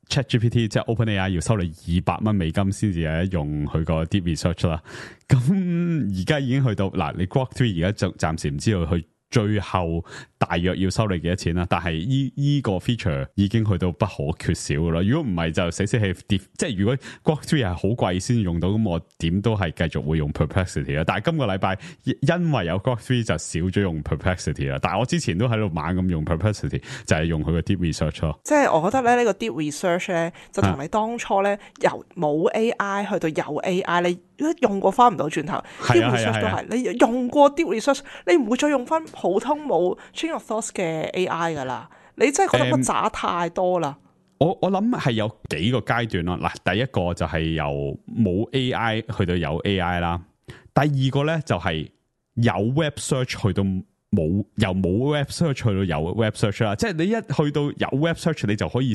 ，ChatGPT 即係 OpenAI 要收你二百蚊美金先至有得用佢個 Deep Research 啦。咁而家已經去到嗱，你 Grok 三而家就暫時唔知道佢最後大約要收你幾多錢啦。但係依依個 feature 已經去到不可缺少噶啦。如果唔係就死死氣跌，即係如果 Grok 三係好貴先用到，咁我點都係繼續會用 Perplexity 啦。但係今個禮拜因為有 Grok 三就少咗用 Perplexity 啦。但係我之前都喺度猛咁用 Perplexity， 就係用佢個 Deep Research 咯。即係我覺得咧，呢個 Deep Research 咧就同你當初咧由冇 A I 去到有 A I，你用過翻唔到轉頭。Deep Research 都係你用過 Deep Research， 你唔會再用翻普通冇 Chain of Thoughts 嘅 A I 噶啦。你真係覺得個渣太多啦。我我諗係有幾個階段咯。嗱，第一個就係由冇 A I 去到有 A I 啦。第二個咧就係有 Web Search 去到冇，由冇 Web Search 去到有 Web Search 啦。即係你一去到有 Web Search，你就可以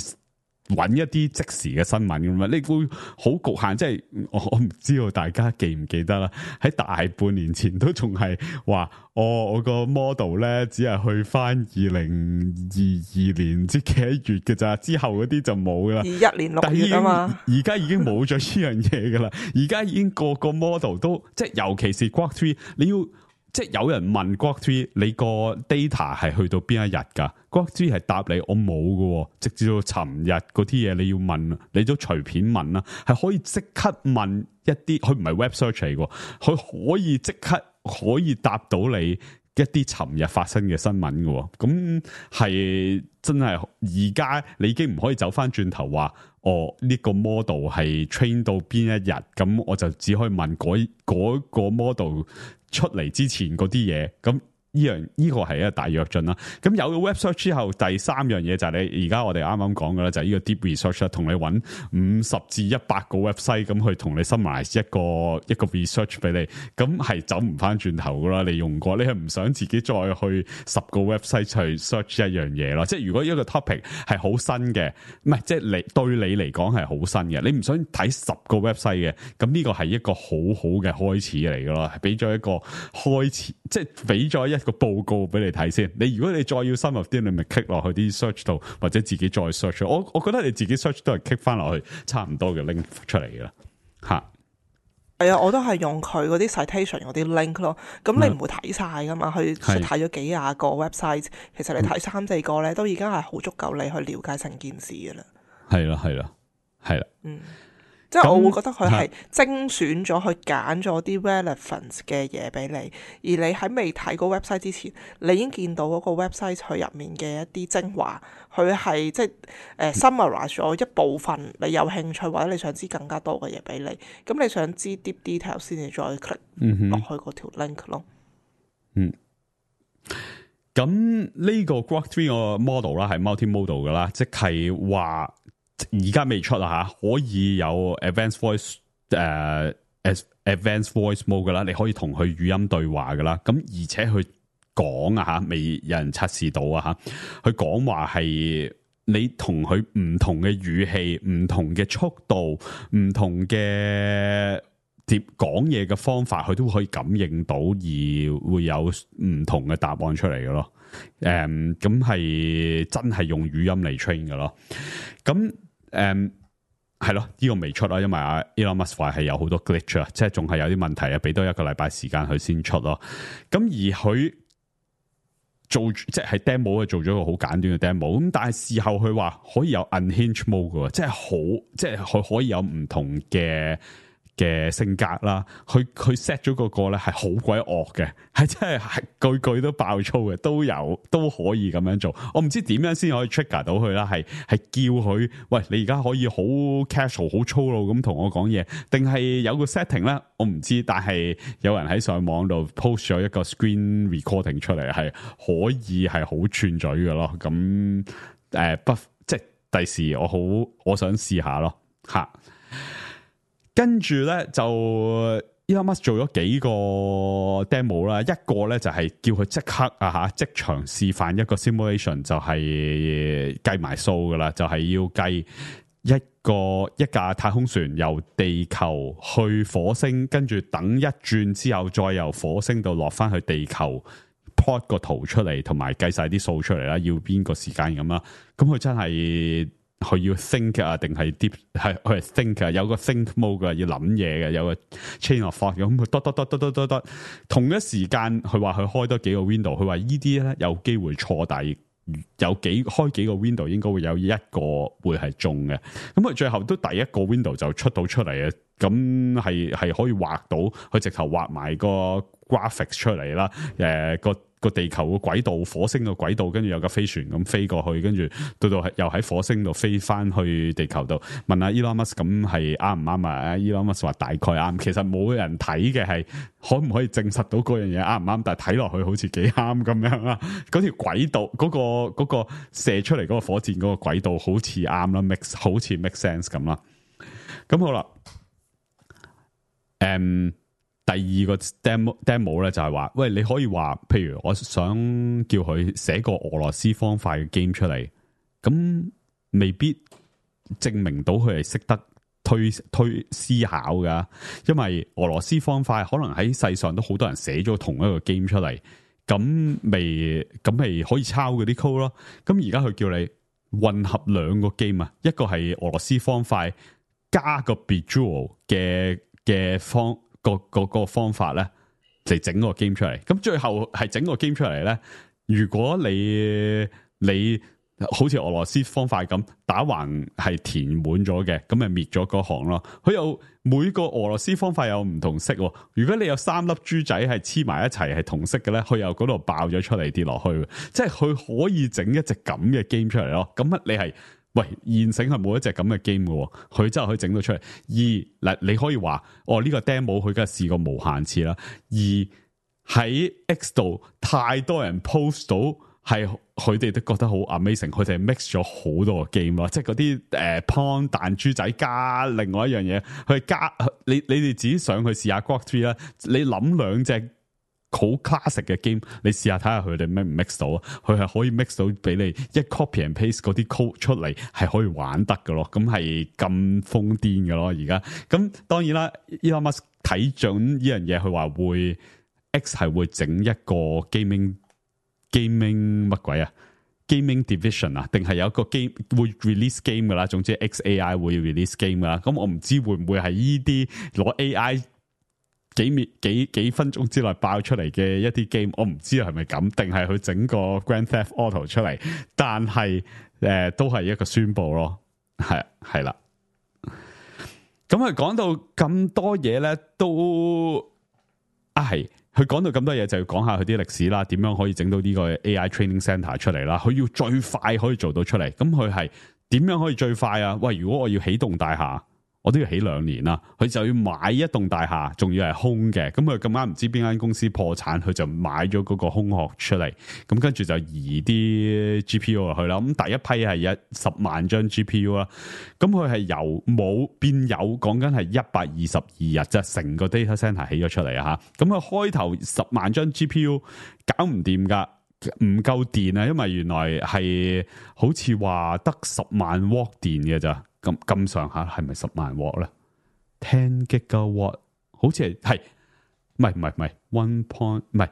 揾一啲即時嘅新聞咁嘛，你會好局限，即係我我唔知道大家記唔記得啦。喺大半年前都仲係話，哦，我個 model 咧只係去翻二零二二年唔知幾多月嘅咋，之後嗰啲就冇啦。二一年六月啊嘛，而家已經冇咗呢樣嘢噶啦，而家已經個個 model 都即係，尤其是 Grok 三，你要。即係有人問 Grok 三，你個 data 係去到邊一日㗎 ？Grok 三係答你我冇㗎，直至到尋日嗰啲嘢你要問，你都隨便問啦，係可以即刻問一啲，佢唔係 web search 嚟㗎，佢可以即刻可以答到你一啲尋日發生嘅新聞㗎，咁係真係而家你已經唔可以走返轉頭話，哦呢個 model 係 train 到邊一日，咁我就只可以問嗰嗰個 model。出嚟之前嗰啲嘢，咁呢樣呢個係一個大躍進啦。咁有咗 web search 之後，第三樣嘢就係你而家我哋啱啱講嘅啦，就係呢個 deep research 啦，同你揾五十至一百個 website 咁去同你 summarize 一個一個 research 俾你，咁係走唔翻轉頭噶啦。你用過，你係唔想自己再去十個 website 去 search 一樣嘢咯。即係如果一個 topic 係好新嘅，唔係即係你對你嚟講係好新嘅，你唔想睇十個 website 嘅，咁呢個係一個好好嘅開始嚟噶咯，係俾咗一個開始，即係俾咗一個報告俾你睇先。你如果你再要深入啲，你咪 click 落去啲 search 度，或者自己再 search。我我覺得你自己 search 都係 click 翻落去差唔多嘅 link 出嚟嘅啦。吓，係啊，我都係用佢嗰啲 citation 嗰啲 link 咯。咁你唔會睇晒噶嘛？佢睇咗幾廿個 website，其實你睇三四個咧，都已經係好足夠你去了解成件事噶啦。係啦，係啦，係啦。嗯。即係我會覺得佢係精選咗，去揀咗啲 relevance 嘅嘢俾你，而你喺未睇個 website 之前，你已經見到嗰個 website 佢入面嘅一啲精華，佢係即係誒 summarize 咗一部分你有興趣或者你想知更加多嘅嘢俾你。咁你想知 deep detail 先至再 click 落去嗰條 link 咯。嗯。咁呢個 Grok 三個 model 啦，係 multi-modal 噶啦，即係話。而家未出啊吓，可以有 advanced voice 誒、uh, advanced voice mode 噶啦，你可以同佢語音對話噶啦。咁而且佢講啊吓，未有人測試到啊吓，佢講話係你同佢唔同嘅語氣、唔同嘅速度、唔同嘅接講嘢嘅方法，佢都可以感應到，而會有唔同嘅答案出嚟嘅咯。誒，咁係真係用語音嚟 train 嘅咯。咁誒係咯，呢個未出啦，因為阿 Elon Musk 話係有好多 glitch 啊，即係仲係有啲問題啊，俾多一個禮拜時間佢先出咯。咁而佢做即係 demo 做咗個好簡短嘅 demo，咁但係事後佢話可以有 unhinged mode 嘅，即係好即係佢可以有唔同嘅嘅性格啦，佢佢 set 咗個個咧係好鬼惡嘅，係真係係句句都爆粗嘅，都有都可以咁樣做。我唔知點樣先可以 trigger 到佢啦，係係叫佢喂，你而家可以好 casual 好粗魯咁同我講嘢，定係有個 setting 咧？我唔知，但係有人喺上網度 post 咗一個 screen recording 出嚟，係可以係好串嘴嘅咯。咁誒、呃、不即係第時我好我想試下咯吓。跟住咧就 Elon Musk 做咗幾個 demo 啦，一個咧就係叫佢即刻啊吓即場示範一個 simulation，就係計埋數噶啦，就係、是、要計一個一架太空船由地球去火星，跟住等一轉之後再由火星度落翻去地球 plot 個圖出嚟，同埋計晒啲數出嚟啦，要邊個時間咁啦，咁佢真係。佢要 think 啊，定係 deep 係佢係 think 啊，有個 think mode 嘅，要諗嘢嘅，有個 chain of thought 咁，佢得得得得得得得，同一時間佢話佢開多幾個 window，佢話呢啲咧有機會錯，但係有幾開幾個 window 應該會有一個會係中嘅，咁佢最後都第一個 window 就出到出嚟嘅，咁係係可以畫到，佢直頭畫埋個 graphics 出嚟啦，誒、呃、個。個地球個軌道，火星個軌道，跟住有架飛船咁飛過去，跟住到到又喺火星度飛翻去地球度。問下 Elon Musk 咁係啱唔啱啊 ？Elon Musk 話大概啱，其實冇人睇嘅係可唔可以證實到嗰樣嘢啱唔啱，但係睇落去好似幾啱咁樣啦。嗰條軌道嗰、嗰個、嗰個射出嚟嗰個火箭嗰個軌道好似啱啦 ，make 好似 make sense 咁啦。咁好啦，誒、um,。第二個 demo demo 咧就係話，喂，你可以話，譬如我想叫佢寫個俄羅斯方塊嘅 game 出嚟，咁未必證明到佢係識得推推思考噶，因為俄羅斯方塊可能喺世上都好多人寫咗同一個 game 出嚟，咁未咁咪可以抄嗰啲 code 咯。咁而家佢叫你混合兩個 game 啊，一個係俄羅斯方塊加個 Bejeweled 嘅嘅方個個個方法咧，就整個 game 出嚟。咁最後係整個 game 出嚟咧，如果你你好似俄羅斯方塊咁打橫係填滿咗嘅，咁咪滅咗嗰行咯。佢有每個俄羅斯方塊有唔同色，如果你有三粒珠仔係黐埋一齊係同色嘅咧，佢又嗰度爆咗出嚟跌落去，即係佢可以整一隻咁嘅 game 出嚟咯。咁你係喂現成係冇一隻咁嘅 game 嘅，佢真係可以整到出嚟。二嗱，你可以話哦呢個 demo 佢梗係試過無限次啦。二喺 X 度太多人 post 到。係佢哋都覺得好 amazing，佢哋 mix 咗好多個 game 咯，即係嗰啲誒 pawn 彈珠仔加另外一樣嘢，佢加你你哋自己上去試下 Grok three 啦，你諗兩隻好 classic 嘅 game， 你試下睇下佢哋咩唔 mix 到，佢係可以 mix 到俾你一 copy and paste 嗰啲 code 出嚟，係可以玩得㗎咯，咁係咁瘋癲㗎咯而家。咁當然啦 Elon Musk 睇準呢樣嘢，佢話會 X 係會整一個 gaming。gaming 乜鬼啊 ？gaming division 啊？定係有一個 game 會 release game 噶啦？總之 X A I 會 release game 噶啦。咁我唔知會唔會係呢啲攞 A I 幾秒幾幾分鐘之內爆出嚟嘅一啲 game， 我唔知係咪咁，定係佢整個 Grand Theft Auto 出嚟？但係誒、呃、都係一個宣佈咯，係係啦。咁佢講到咁多嘢咧，都啊係。佢講到咁多嘢，就要講下佢啲歷史啦，點樣可以整到呢個 A I Training Center 出嚟啦？佢要最快可以做到出嚟，咁佢係點樣可以最快啊？喂，如果我要起棟大廈，我都要起兩年啦。佢就要買一棟大廈，仲要係空嘅。咁佢咁啱唔知邊間公司破產，佢就買咗嗰個空殼出嚟。咁跟住就移啲 G P U 落去啦。咁第一批係一十萬張 G P U 啦。咁佢係由冇變有，講緊係一百二十二日，即係成個 data center 起咗出嚟啊！吓，咁佢開頭十萬張 G P U 搞唔掂噶，唔夠電啊，因為原來係好似話得十萬瓦電嘅咋。咁咁上下係咪十萬瓦咧 ？ten gigawatt 好似係係，唔係唔係唔係 one point 唔係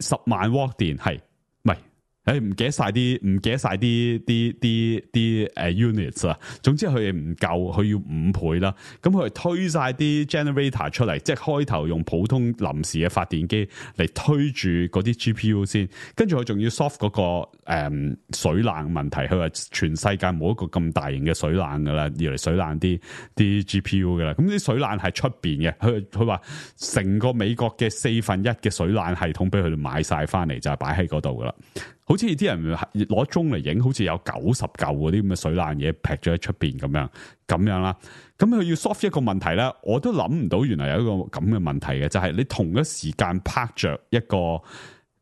十萬瓦電係，唔係誒唔記得晒啲唔記得晒啲啲啲啲誒 units 啊。總之佢哋唔夠，佢要五倍啦。咁佢推晒啲 generator 出嚟，即係開頭用普通臨時嘅發電機嚟推住嗰啲 G P U 先，跟住佢仲要 solve 嗰、嗰個誒、嗯、水冷問題。佢話全世界冇一個咁大型嘅水冷噶啦，要嚟水冷啲啲 G P U 噶啦。咁啲水冷係出邊嘅，佢佢話成個美國嘅四分一嘅水冷系統俾佢哋買晒翻嚟，就係擺喺嗰度噶啦。好似啲人攞鐘嚟影，好似有九十嚿嗰啲咁嘅水冷嘢劈咗喺出邊咁樣咁樣啦。咁佢要 solve 一個問題咧，我都諗唔到原來有一個咁嘅問題嘅，就係、是、你同一時間拍着一個誒、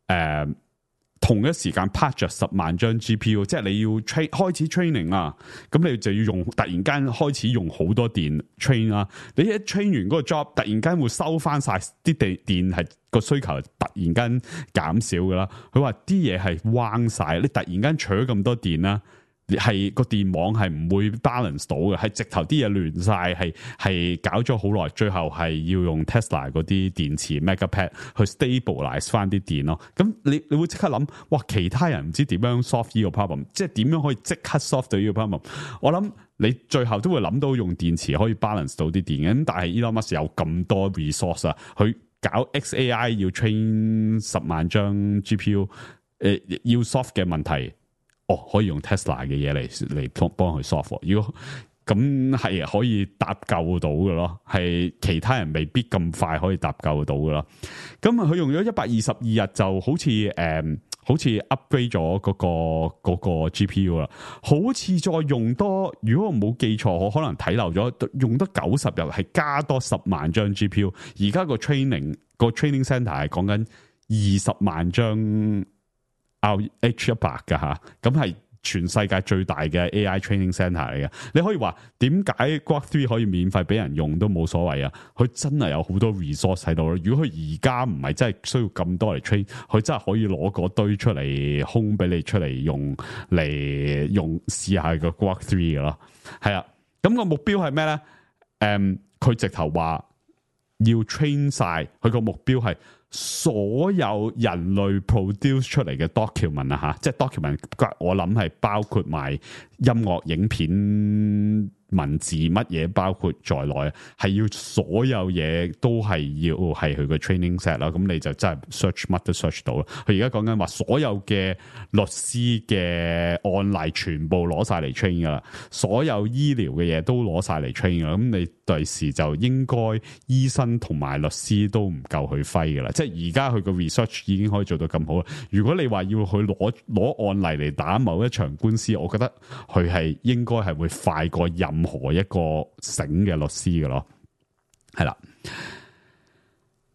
呃，同一時間拍着十萬張 G P U， 即係你要 train 開始 training 啊，咁你就要用突然間開始用好多電 train 啊，你一 train 完嗰個 job，突然間會收翻晒啲地電係。個需求突然間減少噶啦，佢話啲嘢係彎晒，你突然間取咗咁多電啦，係個電網係唔會 balance 到嘅，係直頭啲嘢亂晒，係係搞咗好耐，最後係要用 Tesla 嗰啲電池 Megapad 去 stabilize 翻啲電咯。咁你你會即刻諗，哇！其他人唔知點樣 solve 呢個 problem，即係點樣可以即刻 solve 到呢個 problem？我諗你最後都會諗到用電池可以 balance 到啲電嘅，咁但係 Elon Musk 有咁多 resource 啊，佢搞 X A I 要 train 十萬張 G P U， 誒、呃、要 solve 嘅問題，哦可以用 Tesla 嘅嘢嚟嚟幫幫佢 solve。如果咁係可以搭救到嘅咯，係其他人未必咁快可以搭救到嘅咯。咁佢用咗一百二十二日就好似誒、嗯，好似 upgrade 咗嗰個嗰個 G P U 啦。好似再用多，如果我冇記錯，我可能睇漏咗，用得九十日係加多十萬張 G P U。而家個 training 個 training center 係講緊二十萬張 R H 一百噶吓，咁係全世界最大嘅 A I training centre 嚟嘅。你可以話點解 Grok 三可以免費俾人用都冇所謂啊？佢真係有好多 resource 喺度咯。如果佢而家唔係真係需要咁多嚟 train，佢真係可以攞嗰堆出嚟空俾你出嚟用嚟用試下個 Grok 三嘅咯。係啊，咁個目標係咩咧？誒、嗯，佢直頭話要 train 晒，佢個目標係所有人類 produce 出嚟嘅 document 啊吓，即係 document， 我諗係包括埋音樂、影片、文字乜嘢包括在內，係要所有嘢都係要係佢個 training set 啦。咁你就真係 search 乜都 search 到啦。佢而家講緊話所有嘅律師嘅案例全部攞晒嚟 train 噶啦，所有醫療嘅嘢都攞晒嚟 train 噶啦。咁你第時就應該醫生同埋律師都唔夠佢揮噶啦。即係而家佢個 research 已經可以做到咁好啦。如果你話要去攞攞案例嚟打某一場官司，我覺得佢係應該係會快過任何一個醒嘅律師嘅咯。係啦，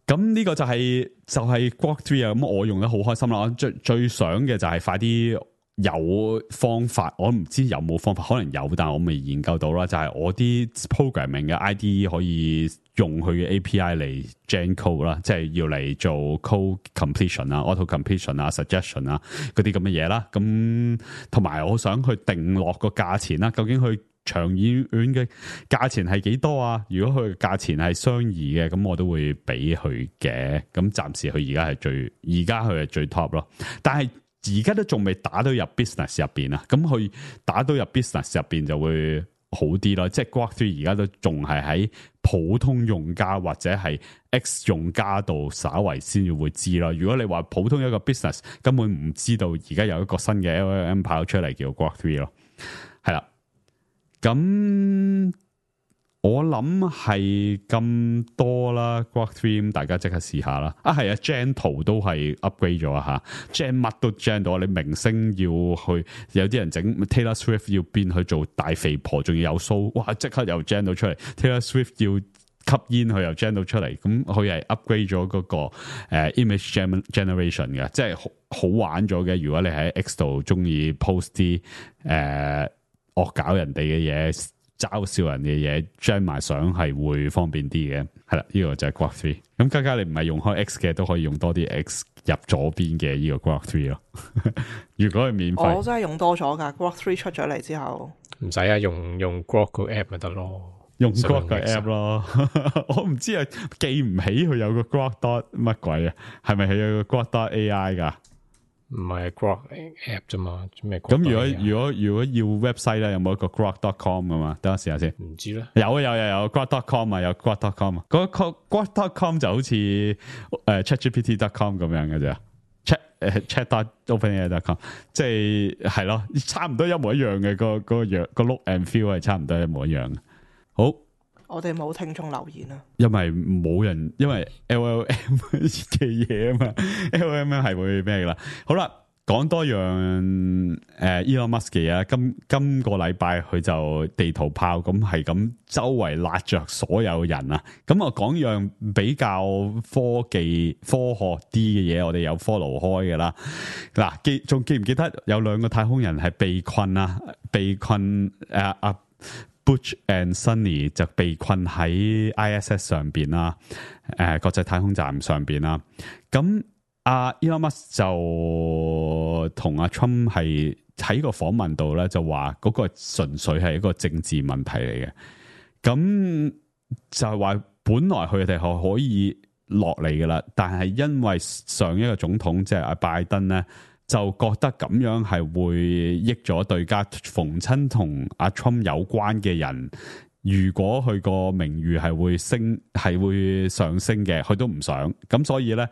咁呢個就係、是、就係、是、Grok 三啊。咁我用得好開心啦。我最最想嘅就係快啲有方法，我唔知有冇方法，可能有，但係我未研究到啦。就係、是、我啲 programming 嘅 I D E 可以用佢嘅 A P I 嚟 gen code 啦，即係要嚟做 code completion 啊、auto completion 啊、suggestion 啊嗰啲咁嘅嘢啦。咁同埋我想去定落個價錢啦，究竟佢長遠嘅價錢係幾多啊？如果佢價錢係相宜嘅，咁我都會俾佢嘅。咁暫時佢而家係最，而家佢係最 top 咯。但係而家都仲未打到入 business 入邊啊。咁佢打到入 business 入邊就會好啲咯。即係 Grok 三而家都仲係喺普通用家或者係 X 用家度稍為先至會知咯。如果你話普通一個 business 根本唔知道而家有一個新嘅 L L M 跑出嚟叫 Grok 三咯，係啦。咁我諗係咁多啦 ，Grok 三大家即刻試下啦。啊係啊 ，Gen 圖都係 upgrade 咗啊吓 ，Gen 乜都 Gen 到。你明星要去，有啲人整 Taylor Swift 要變去做大肥婆，仲要有鬚，哇！即刻又 Gen 到出嚟。Taylor Swift 要吸煙，佢又 Gen 到出嚟。咁佢係 upgrade 咗嗰個誒、uh, image generation 嘅，即係好好玩咗嘅。如果你喺 X 度中意 post 啲誒。Uh, 惡搞人哋嘅嘢，嘲笑人嘅嘢，將埋相係會方便啲嘅。係啦，呢、這個就係 Grok 三。咁家家你唔係用開 X 嘅，都可以用多啲 X 入左邊嘅呢個 Grok 三咯。如果係免費，我真係用多咗噶。Grok 三出咗嚟之後，唔使啊，用用 Grok 個 app 咪得咯，用 Grok 個 app 咯。我唔知啊，記唔起佢有個 Grok dot 乜鬼啊？係咪係有個 Grok dot A I 噶？唔係 Grok app 啫嘛，咩？咁如果如果如果要 website 咧，有冇一個 Grok dot com 噶嘛？等我試下先。唔知咧。有啊有有有 Grok dot com 啊，有 Grok dot com 啊。嗰個 Grok dot com 就好似誒 ChatGPT dot com 咁樣嘅啫。Chat 誒 Chat dot OpenAI dot com， 即係係咯，差唔多一模一樣嘅，個個樣個 look and feel 係差唔多一模一樣嘅。好。我哋冇聽眾留言啊，因為冇人，因為 L L M 嘅嘢啊嘛 ，L L M 係會咩噶啦？好啦，講多樣誒、呃、Elon Musk 嘅嘢，今今個禮拜佢就地圖炮咁係咁周圍辣着所有人啊！咁我講樣比較科技科學啲嘅嘢，我哋有 follow 開嘅啦。嗱，記仲記唔記得有兩個太空人係被困啊？被困誒啊！Butch and Sunny 就被困喺 I S S 上邊啦，誒、呃、國際太空站上邊啦。咁阿 Elon Musk 就同阿 Trump 係喺個訪問度咧，就話嗰個純粹係一個政治問題嚟嘅。咁就係話本來佢哋係可以落嚟噶啦，但係因為上一個總統即係阿拜登咧，就覺得咁樣係會益咗對家，逢親同阿 Trump 有關嘅人，如果佢個名譽係會升，係會上升嘅，佢都唔想。咁所以咧，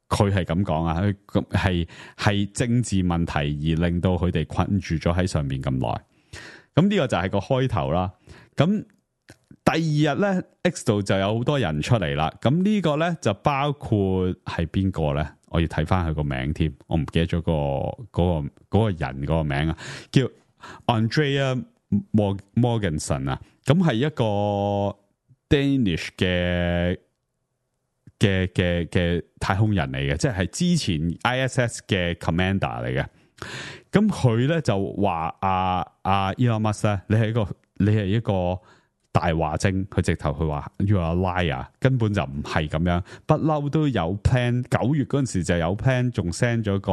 佢係咁講啊，佢係係政治問題而令到佢哋困住咗喺上面咁耐。咁呢個就係個開頭啦。咁第二日咧 ，X 度就有好多人出嚟啦。咁呢個咧就包括係邊個咧？我要睇翻佢個名添，我唔記得咗個嗰個嗰個人嗰個名啊，叫 Andrea Morgensen 啊，咁係一個 Danish 嘅嘅嘅嘅太空人嚟嘅，即係之前 I S S 嘅 Commander 嚟嘅，咁佢咧就話阿阿 Elon Musk 咧，你係一個你係一個大話精，佢直頭佢話 you are a liar， 根本就唔係咁樣，不嬲都有 plan。九月嗰陣時就有 plan，仲 send 咗個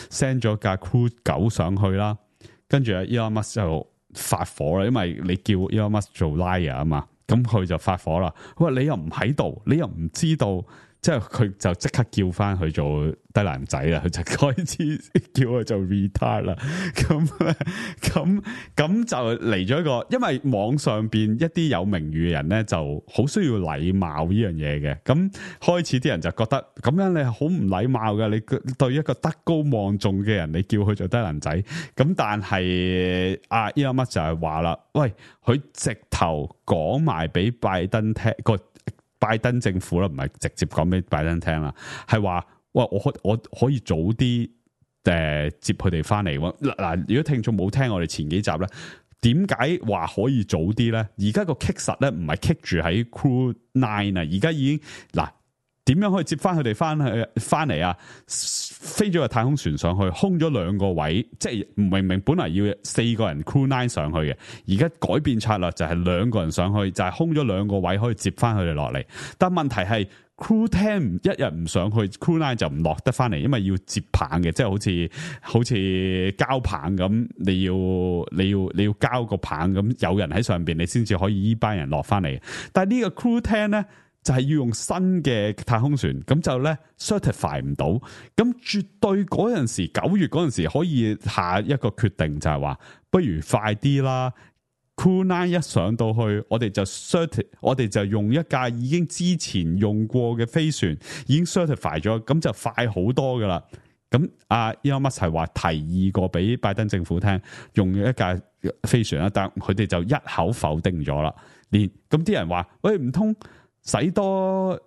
send 咗架 Crew 九上去啦。跟住阿 Elon Musk 就發火啦，因為你叫 Elon Musk 做 liar 啊嘛，咁佢就發火啦。佢話你又唔喺度，你又唔知道。即係佢就即刻叫翻佢做低能仔啦，佢就開始叫佢做 retard 啦。咁咧，咁咁就嚟咗一個，因為網上邊一啲有名譽嘅人咧，就好需要禮貌呢樣嘢嘅。咁開始啲人就覺得咁樣你係好唔禮貌嘅，你對一個德高望重嘅人，你叫佢做低能仔。咁但係阿 Elon Musk 就係話啦，喂，佢直頭講埋俾拜登聽個。拜登政府啦，唔係直接講俾拜登聽啦，係話喂，我可我可以早啲誒、呃、接佢哋翻嚟。嗱，如果聽眾冇聽我哋前幾集咧，點解話可以早啲咧？而家個 kick 實咧唔係 kick 住喺 Crew Nine 啊，而家已經嗱。點樣可以接翻佢哋翻去翻嚟啊？飛咗個太空船上去，空咗兩個位，即係明明本來要四個人 Crew Nine 上去嘅，而家改變策略就係兩個人上去，就係、是、空咗兩個位可以接翻佢哋落嚟。但問題係 Crew Ten 一日唔上去 ，Crew Nine 就唔落得翻嚟，因為要接棒嘅，即係好似好似交棒咁，你要你要你要交個棒咁，有人喺上邊，你先至可以依班人落翻嚟。但係呢個 Crew Ten 咧。就係要用新嘅太空船，咁就咧 certify 唔到，咁絕對嗰陣時九月嗰陣時可以下一個決定就係話，不如快啲啦。Crew Nine 一上到去，我哋就 certify， 我哋就用一架已經之前用過嘅飛船，已經 certify 咗，咁就快好多噶啦。咁阿 Elon Musk 係話提議過俾拜登政府聽，用一架飛船啦，但佢哋就一口否定咗啦。連咁啲人話，喂，唔通？使多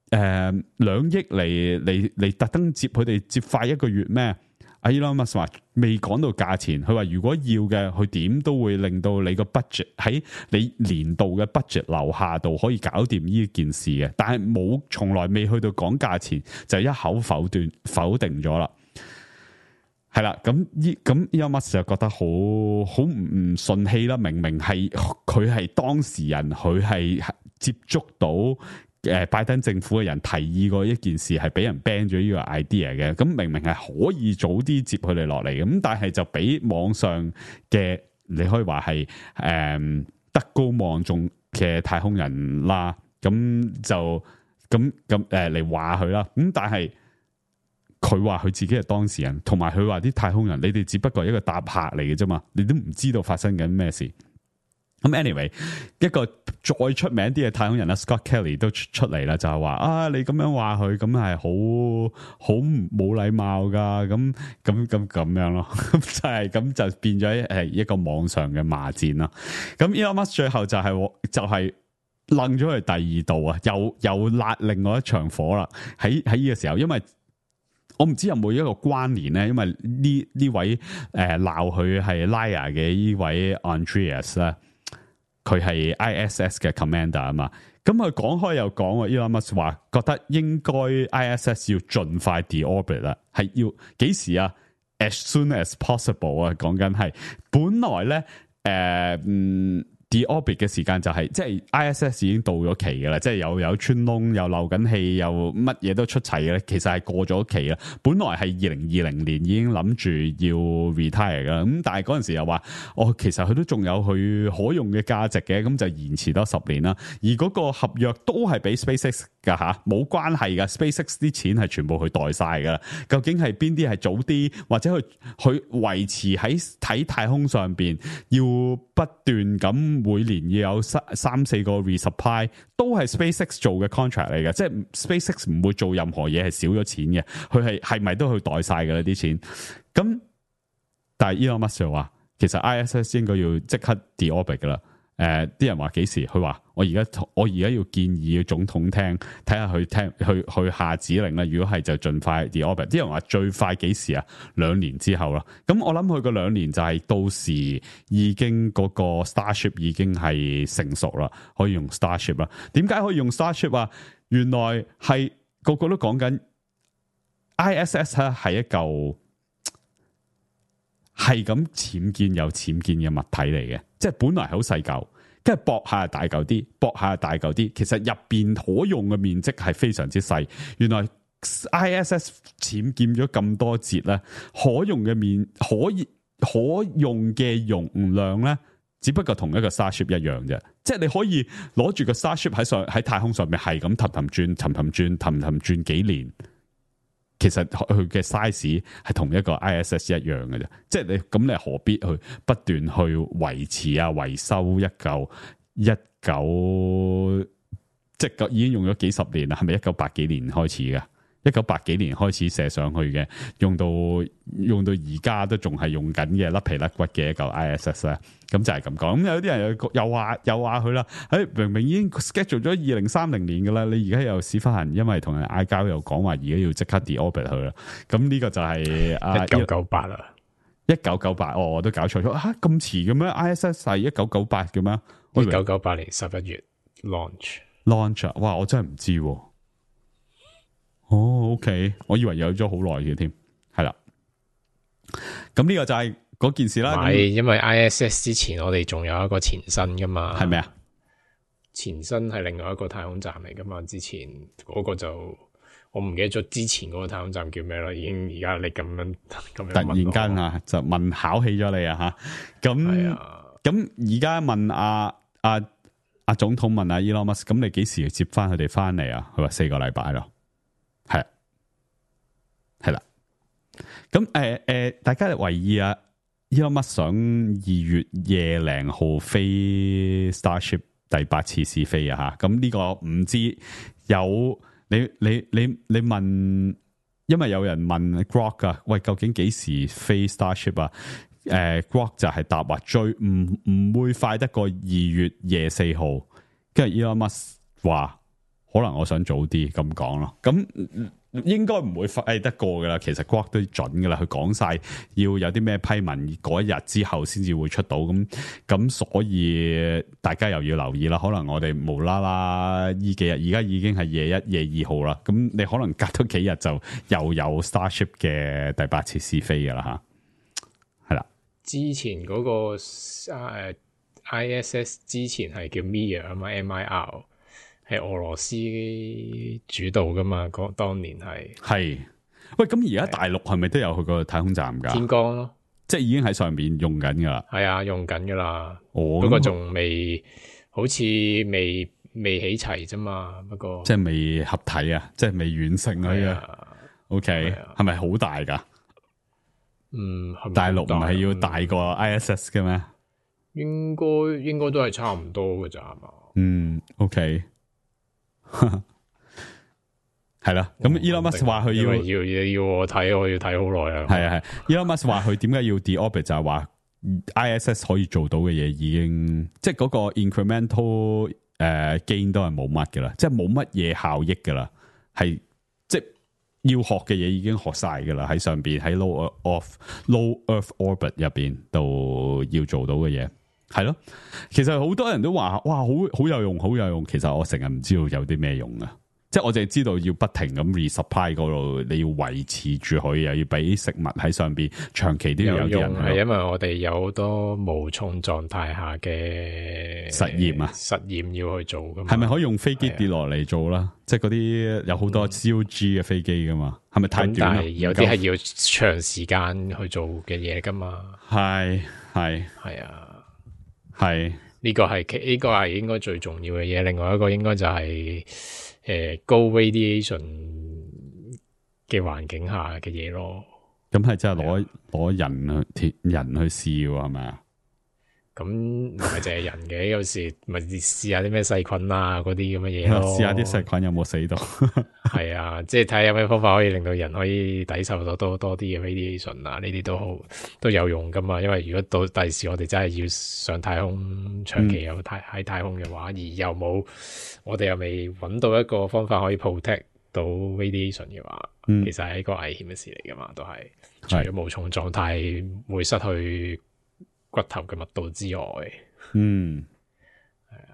誒兩億嚟嚟嚟特登接佢哋接快一個月咩？阿 Elon Musk 話未講到價錢，佢話如果要嘅，佢點都會令到你個 budget 喺你年度嘅 budget 樓下度可以搞掂呢件事嘅，但係冇從來未去到講價錢，就一口否斷否定咗啦。係啦，咁依咁 Elon Musk 就覺得好好唔順氣啦。明明係佢係當事人，佢係接觸到誒拜登政府嘅人提議過一件事，係俾人 ban 咗呢個 idea 嘅。咁明明係可以早啲接佢哋落嚟，咁但係就俾網上嘅你可以話係誒德高望重嘅太空人啦，咁就咁咁誒嚟話佢啦。咁但係。佢話佢自己係當事人，同埋佢話啲太空人，你哋只不過係一個搭客嚟嘅啫嘛，你都唔知道發生緊咩事。咁 anyway， 一個再出名啲嘅太空人啦 ，Scott Kelly 都出出嚟啦，就係話啊，你咁樣話佢，咁係好好冇禮貌噶，咁咁咁咁樣咯，咁就係咁就變咗係一個網上嘅罵戰啦。咁 Elon Musk 最後就係、是、就係楞咗佢第二度啊，又又辣另外一場火啦。喺喺呢個時候，因為我唔知有冇一個關聯咧，因為呢呢位誒鬧佢係 liar 嘅呢位 Andreas 咧，佢係 I S S 嘅 commander 啊嘛，咁佢講開又講啊 Elon Musk 話覺得應該 I S S 要盡快 deorbit 啦，係要幾時啊 ？As soon as possible 啊，講緊係本來咧誒、呃、嗯。deorbit 嘅時間就係、是、即係 I S S 已經到咗期嘅啦，即係又有穿窿又漏緊氣又乜嘢都出齊嘅咧，其實係過咗期啦。本來係二零二零年已經諗住要 retire 噶，咁但係嗰陣時又話哦，其實佢都仲有佢可用嘅價值嘅，咁就延遲多十年啦。而嗰個合約都係俾 SpaceX 噶吓，冇關係噶 ，SpaceX 啲錢係全部佢袋晒噶啦。究竟係邊啲係早啲，或者佢佢維持喺睇太空上邊要不斷咁。每年要有三三四個 resupply 都係 SpaceX 做嘅 contract 嚟嘅，即係 SpaceX 唔會做任何嘢係少咗錢嘅，佢係係咪都去袋晒㗎啦啲錢？咁但係 Elon Musk 話，其實 I S S 應該要即刻 deorbit 噶啦。誒、呃，啲人話幾時？佢話我而家我而家要建議總統聽，睇下佢聽去去下指令啦。如果係就盡快 deorbit。啲人話最快幾時啊？兩年之後啦。咁我諗佢個兩年就係到時已經嗰個 Starship 已經係成熟啦，可以用 Starship 啦。點解可以用 Starship 啊？原來係個個都講緊 I S S 咧係一嚿係咁僭建有僭建嘅物體嚟嘅，即係本來係好細嚿，跟住駁下大嚿啲，駁下大嚿啲，其實入邊可用嘅面積係非常之細。原來 I S S 僭建咗咁多節咧，可用嘅面可以可用嘅容量咧，只不過同一個 Starship 一樣啫。即係你可以攞住個 Starship 喺上喺太空上面係咁氹氹轉、氹氹轉、氹氹轉幾年，其實佢嘅 size 係同一個 I S S 一樣嘅啫。即係你咁，你何必去不斷去維持啊、維修一嚿一九，即係已經用咗幾十年啦？係咪一九八幾年開始嘅？一九八幾年開始射上去嘅，用到用到而家都仲係用緊嘅甩皮甩骨嘅一嚿 I S S 咧，咁就係咁講。咁有啲人又又話又話佢啦，誒明明已經 schedule 咗二零三零年噶啦，你而家又屎忽痕，因為同人嗌交又講話而家要即刻 de-orbit 佢啦。咁呢個就係一九九八啦，一九九八哦，我都搞錯咗嚇，咁遲嘅咩 ？I S S 係一九九八嘅咩？一九九八年十一月 launch launch 哇！我真係唔知喎。哦 ，OK， 我以為有咗好耐嘅添，係啦。咁呢個就係嗰件事啦。係，因為 I S S 之前我哋仲有一個前身噶嘛，係咪啊？前身係另外一個太空站嚟噶嘛，之前嗰個就我唔記得咗之前嗰個太空站叫咩啦，已經而家你咁樣咁樣突然間啊，就問考起咗你啊吓。咁咁而家問阿阿阿總統問阿 Elon Musk，咁你幾時接翻佢哋翻嚟啊？佢話四個禮拜咯。係，係啦。咁誒誒，大家留意啊 Elon Musk 想二月廿零號飛 Starship 第八次試飛啊吓。咁呢個唔知有你你你你問，因為有人問 Grok 啊，喂，究竟幾時飛 Starship 啊？誒、呃、Grok 就係答話最唔唔會快得過二月廿四號，跟住 Elon Musk 話。可能我想早啲咁講咯，咁應該唔會快得過噶啦。其實 Grok 都準噶啦，佢講晒要有啲咩批文嗰一日之後先至會出到，咁咁所以大家又要留意啦。可能我哋無啦啦呢幾日，而家已經係廿一、廿二號啦，咁你可能隔多幾日就又有 Starship 嘅第八次試飛噶啦吓，係啦。之前嗰、那個誒、uh, I S S 之前係叫 Mir 啊嘛 ，M I R。係俄羅斯主導噶嘛？嗰當年係係喂，咁而家大陸係咪都有去個太空站噶？天光咯，即係已經喺上邊用緊噶啦。係啊，用緊噶啦。哦，不過仲未，好似未未起齊啫嘛。不過即係未合體啊，即係未完成啊。O K，係咪好大噶？嗯，係咪大陸唔係要大過 I S S 嘅咩？應該應該都係差唔多噶咋係嘛？嗯 ，O K。係啦，咁 Elon Musk 話佢要要要要我睇，我要睇好耐啊。係啊係 ，Elon Musk 話佢點解要 de-orbit 就係話 I S S 可以做到嘅嘢已經，即係嗰個 incremental 誒、uh, gain 都係冇乜噶啦，即係冇乜嘢效益噶啦，係即係要學嘅嘢已經學晒噶啦，喺上邊喺 low of low Earth orbit 入邊度要做到嘅嘢。係咯，其實好多人都話哇，好好有用，好有用。其實我成日唔知道有啲咩用啊，即係我淨係知道要不停咁 resupply 嗰度，你要維持住佢，又要俾食物喺上邊，長期都要有啲人。係因為我哋有好多無重狀態下嘅實驗啊，實驗要去做噶嘛。係咪可以用飛機跌落嚟做啦？即係嗰啲有好多 C O G 嘅飛機噶嘛？係咪太短啦？有啲係要長時間去做嘅嘢噶嘛？係係係啊。係呢個係呢個係應該最重要嘅嘢，另外一個應該就係誒高 radiation 嘅環境下嘅嘢咯。咁係真係攞攞人去人去試係咪啊？咁唔係淨係人嘅，有時咪試下啲咩細菌啊嗰啲咁嘅嘢咯。試下啲細菌有冇死到？係啊，即係睇下有咩方法可以令到人可以抵受到多多啲嘅 radiation 啊，呢啲都好都有用噶嘛。因為如果到第時我哋真係要上太空，長期有太喺太空嘅話，嗯、而又冇我哋又未揾到一個方法可以 protect 到 radiation 嘅話，嗯、其實係一個危險嘅事嚟噶嘛。都係除咗無重狀態會失去骨頭嘅密度之外，嗯，係啊，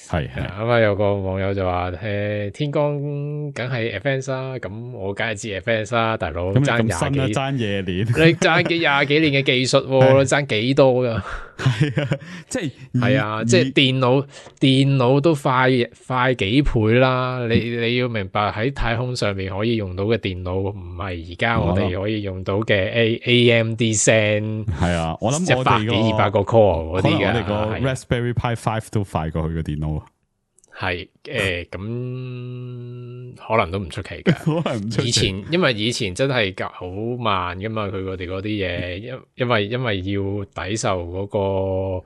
係係咁啊，有個網友就話誒，天光梗係 Advance 啦，咁我梗係知 Advance 啦，大佬爭廿幾爭廿年，你爭幾廿幾年嘅技術，爭幾多噶？係啊，即係係啊，即係電腦電腦都快快幾倍啦。你你要明白喺太空上面可以用到嘅電腦，唔係而家我哋可以用到嘅 A A M D Zen 係啊，我諗我哋一百幾二百個 core 嗰啲嘅，我哋個 Raspberry Pi Five 都快過佢嘅電腦。係誒，咁、呃、可能都唔出奇嘅。可能唔出奇。以前因為以前真係好慢噶嘛，佢哋嗰啲嘢，因因為因為要抵受嗰、嗰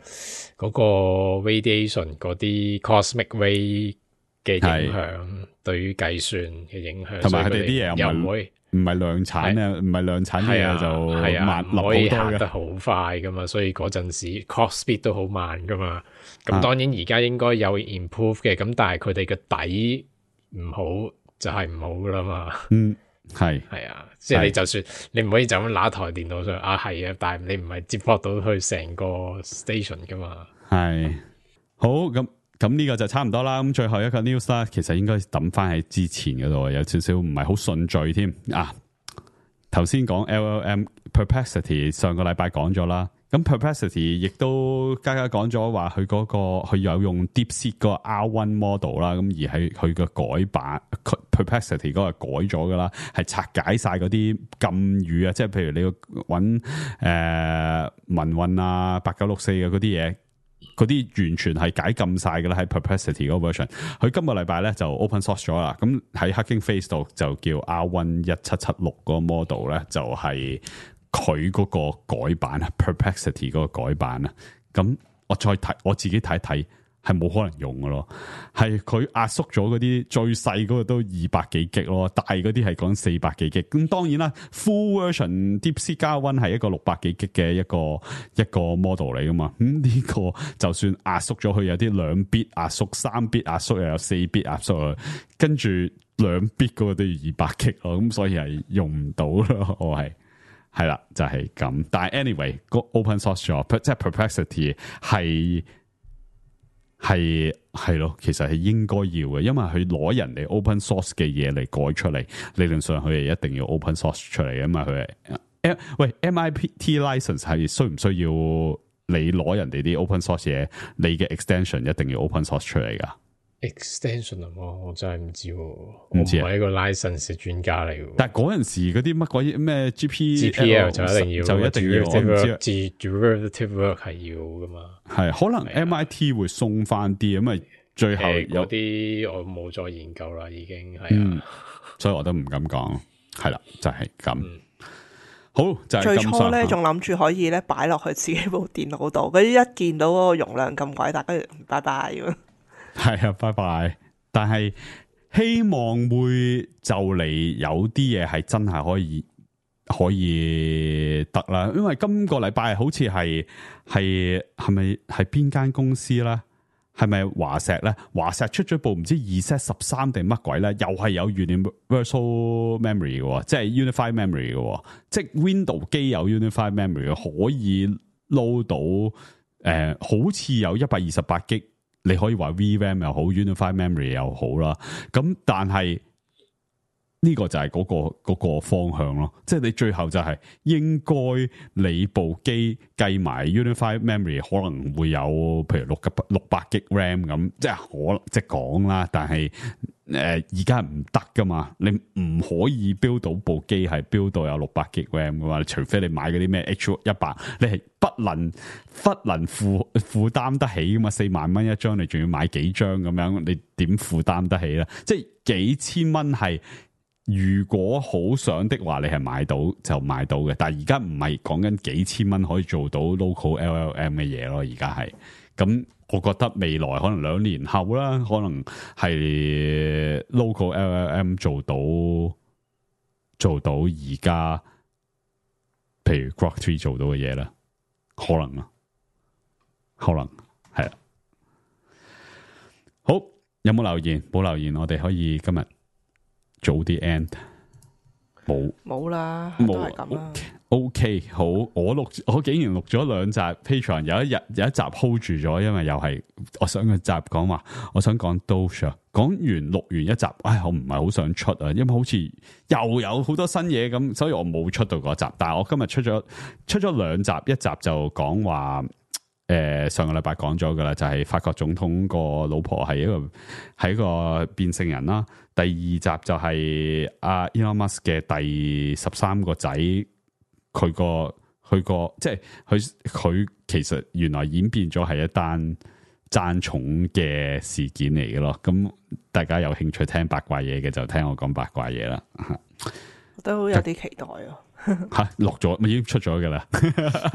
個嗰、嗰個 radiation 嗰啲 cosmic ray 嘅影響，對於計算嘅影響，同埋佢哋啲嘢又唔會唔係量產啊，唔係量產嘅嘢就係啊，慢，唔可以行得好快噶嘛，所以嗰陣時 clock speed 都好慢噶嘛。咁當然而家應該有 improve 嘅，咁但係佢哋嘅底唔好就係唔好噶啦嘛。嗯，係係啊，即係你就算你唔可以就咁拿台電腦上啊，係啊，但係你唔係接駁到去成個 station 噶嘛。係好咁。咁呢個就差唔多啦，咁最後一個 news 啦，其實應該抌翻喺之前嗰度，有少少唔係好順序添啊。頭先講 L L M Perplexity 上個禮拜講咗啦，咁 Perplexity 亦都加加講咗話佢嗰個佢有用 DeepSeek 個 R one model 啦，咁而係佢個改版 Perplexity 嗰個改咗噶啦，係拆解晒嗰啲禁語啊，即係譬如你要揾誒民運啊八九六四嘅嗰啲嘢。嗰啲完全係解禁晒㗎啦，喺 Perplexity 嗰個 version，佢今個禮拜咧就 open source 咗啦。咁喺 Hugging Face 度就叫 R one 一七七六個 model 咧，就係佢嗰個改版啊 ，Perplexity 嗰個改版啊。咁我再睇，我自己睇一睇。係冇可能用嘅咯，係佢壓縮咗嗰啲最細嗰個都二百幾 G 咯，大嗰啲係講四百幾 G。咁當然啦 ，full version DeepSeek R one係一個六百幾 G 嘅一個一個 model 嚟噶嘛。咁、嗯、呢、這個就算壓縮咗，佢有啲兩 bit 壓縮、三 bit 壓縮，又有四 bit 壓縮，跟住兩 bit 嗰個都要二百 G 咯。咁所以係用唔到咯，我係係啦，就係、是、咁。但係 anyway，個 open source 咗，即係 Perplexity 係。係係咯，其實係應該要嘅，因為佢攞人哋 open source 嘅嘢嚟改出嚟，理論上佢係一定要 open source 出嚟嘅嘛。佢係喂 M I T license 係需唔需要你攞人哋啲 open source 嘢，你嘅 extension 一定要 open source 出嚟噶？ extension 啊，我真係唔知，我唔係一個 license 嘅專家嚟嘅。但係嗰陣時嗰啲乜鬼咩 G P G P L 就一定要，就一定要，我唔知。derivative work 係要噶嘛？係可能 M I T 會鬆翻啲，因為最後有啲我冇再研究啦，已經係啊、嗯，所以我都唔敢講。係啦，就係、是、咁。嗯、好就係、是、最初咧，仲諗住可以咧擺落去自己部電腦度，嗰啲一見到嗰個容量咁鬼大，跟住拜拜咁。係啊，拜拜！但係希望會就嚟有啲嘢係真係可以可以得啦，因為今個禮拜好似係係係咪係邊間公司啦？係咪華碩咧？華碩出咗部唔知 Z 十三定乜鬼咧？又係有 universal memory 嘅，即係 unified memory 嘅，即係 Windows 機有 unified memory 可以 load 到誒、呃，好似有一百二十八 G。你可以話 V RAM 又好 ，Unified Memory 又好啦。咁但係呢個就係嗰個嗰個方向咯。即係你最後就係應該你部機計埋 Unified Memory 可能會有，譬如六六百 G RAM 咁，即係可能即係講啦。但係誒而家唔得噶嘛，你唔可以 build 到部機係 build 到有六百 G RAM 噶嘛，除非你買嗰啲咩 H 一百，你係不能不能負負擔得起噶嘛，四萬蚊一張，你仲要買幾張咁樣，你點負擔得起咧？即係幾千蚊係，如果好想的話，你係買到就買到嘅。但係而家唔係講緊幾千蚊可以做到 local L L M 嘅嘢咯，而家係咁。我覺得未來可能兩年後啦，可能係 local L L M 做到做到而家，譬如 Grok three 做到嘅嘢啦，可能啊，可能係啊。好，有冇留言？冇留言，我哋可以今日早啲 end。冇冇啦，冇都係咁啦。OK， 好，我錄我竟然錄咗兩集 Patreon， 有一日有一集 hold 住咗，因為又係我上個集講話，我想講 Doge， 講完錄完一集，唉，我唔係好想出啊，因為好似又有好多新嘢咁，所以我冇出到嗰集。但係我今日出咗出咗兩集，一集就講話。誒、呃，上個禮拜講咗噶啦，就係、是、法國總統個老婆係一個係一個變性人啦。第二集就係阿 Elon Musk 嘅第十三個仔，佢個佢個即係佢佢其實原來演變咗係一單爭寵嘅事件嚟嘅咯。咁大家有興趣聽八卦嘢嘅就聽我講八卦嘢啦。我都有啲期待啊！吓錄咗咪已經出咗噶啦？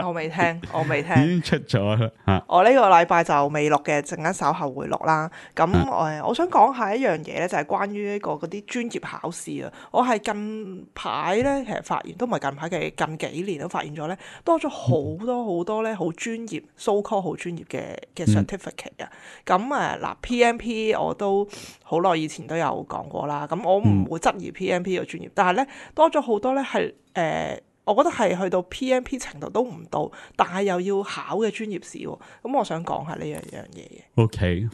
我未聽，我未聽，已經出咗啦。吓，我呢個禮拜就未錄嘅，陣間稍後會錄啦。咁誒、嗯，我想講下一樣嘢咧，就係關於呢個嗰啲專業考試啊。我係近排咧，其實發現都唔係近排嘅，近幾年都發現咗咧，多咗好多好多咧，好專業 so call 好專業嘅嘅 certificate 啊。咁誒嗱 P M P 我都好耐以前都有講過啦。咁我唔會質疑 P M P 嘅專業，但係咧多咗好多咧係。誒、呃，我覺得係去到 P M P 程度都唔到，但係又要考嘅專業試喎。咁我想講下呢樣樣嘢嘅。OK，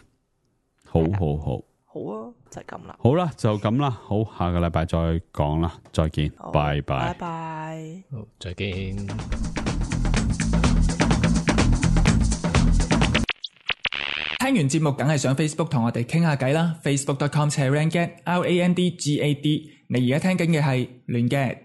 好好好，好啊，就係咁啦。好啦，就咁啦。好，下個禮拜再講啦，再見，拜拜，拜拜，好，再見。聽完節目梗係上 Facebook 同我哋傾下偈啦 ，facebook dot com slash randgad R A N D G A D。你而家聽緊嘅係亂嘅。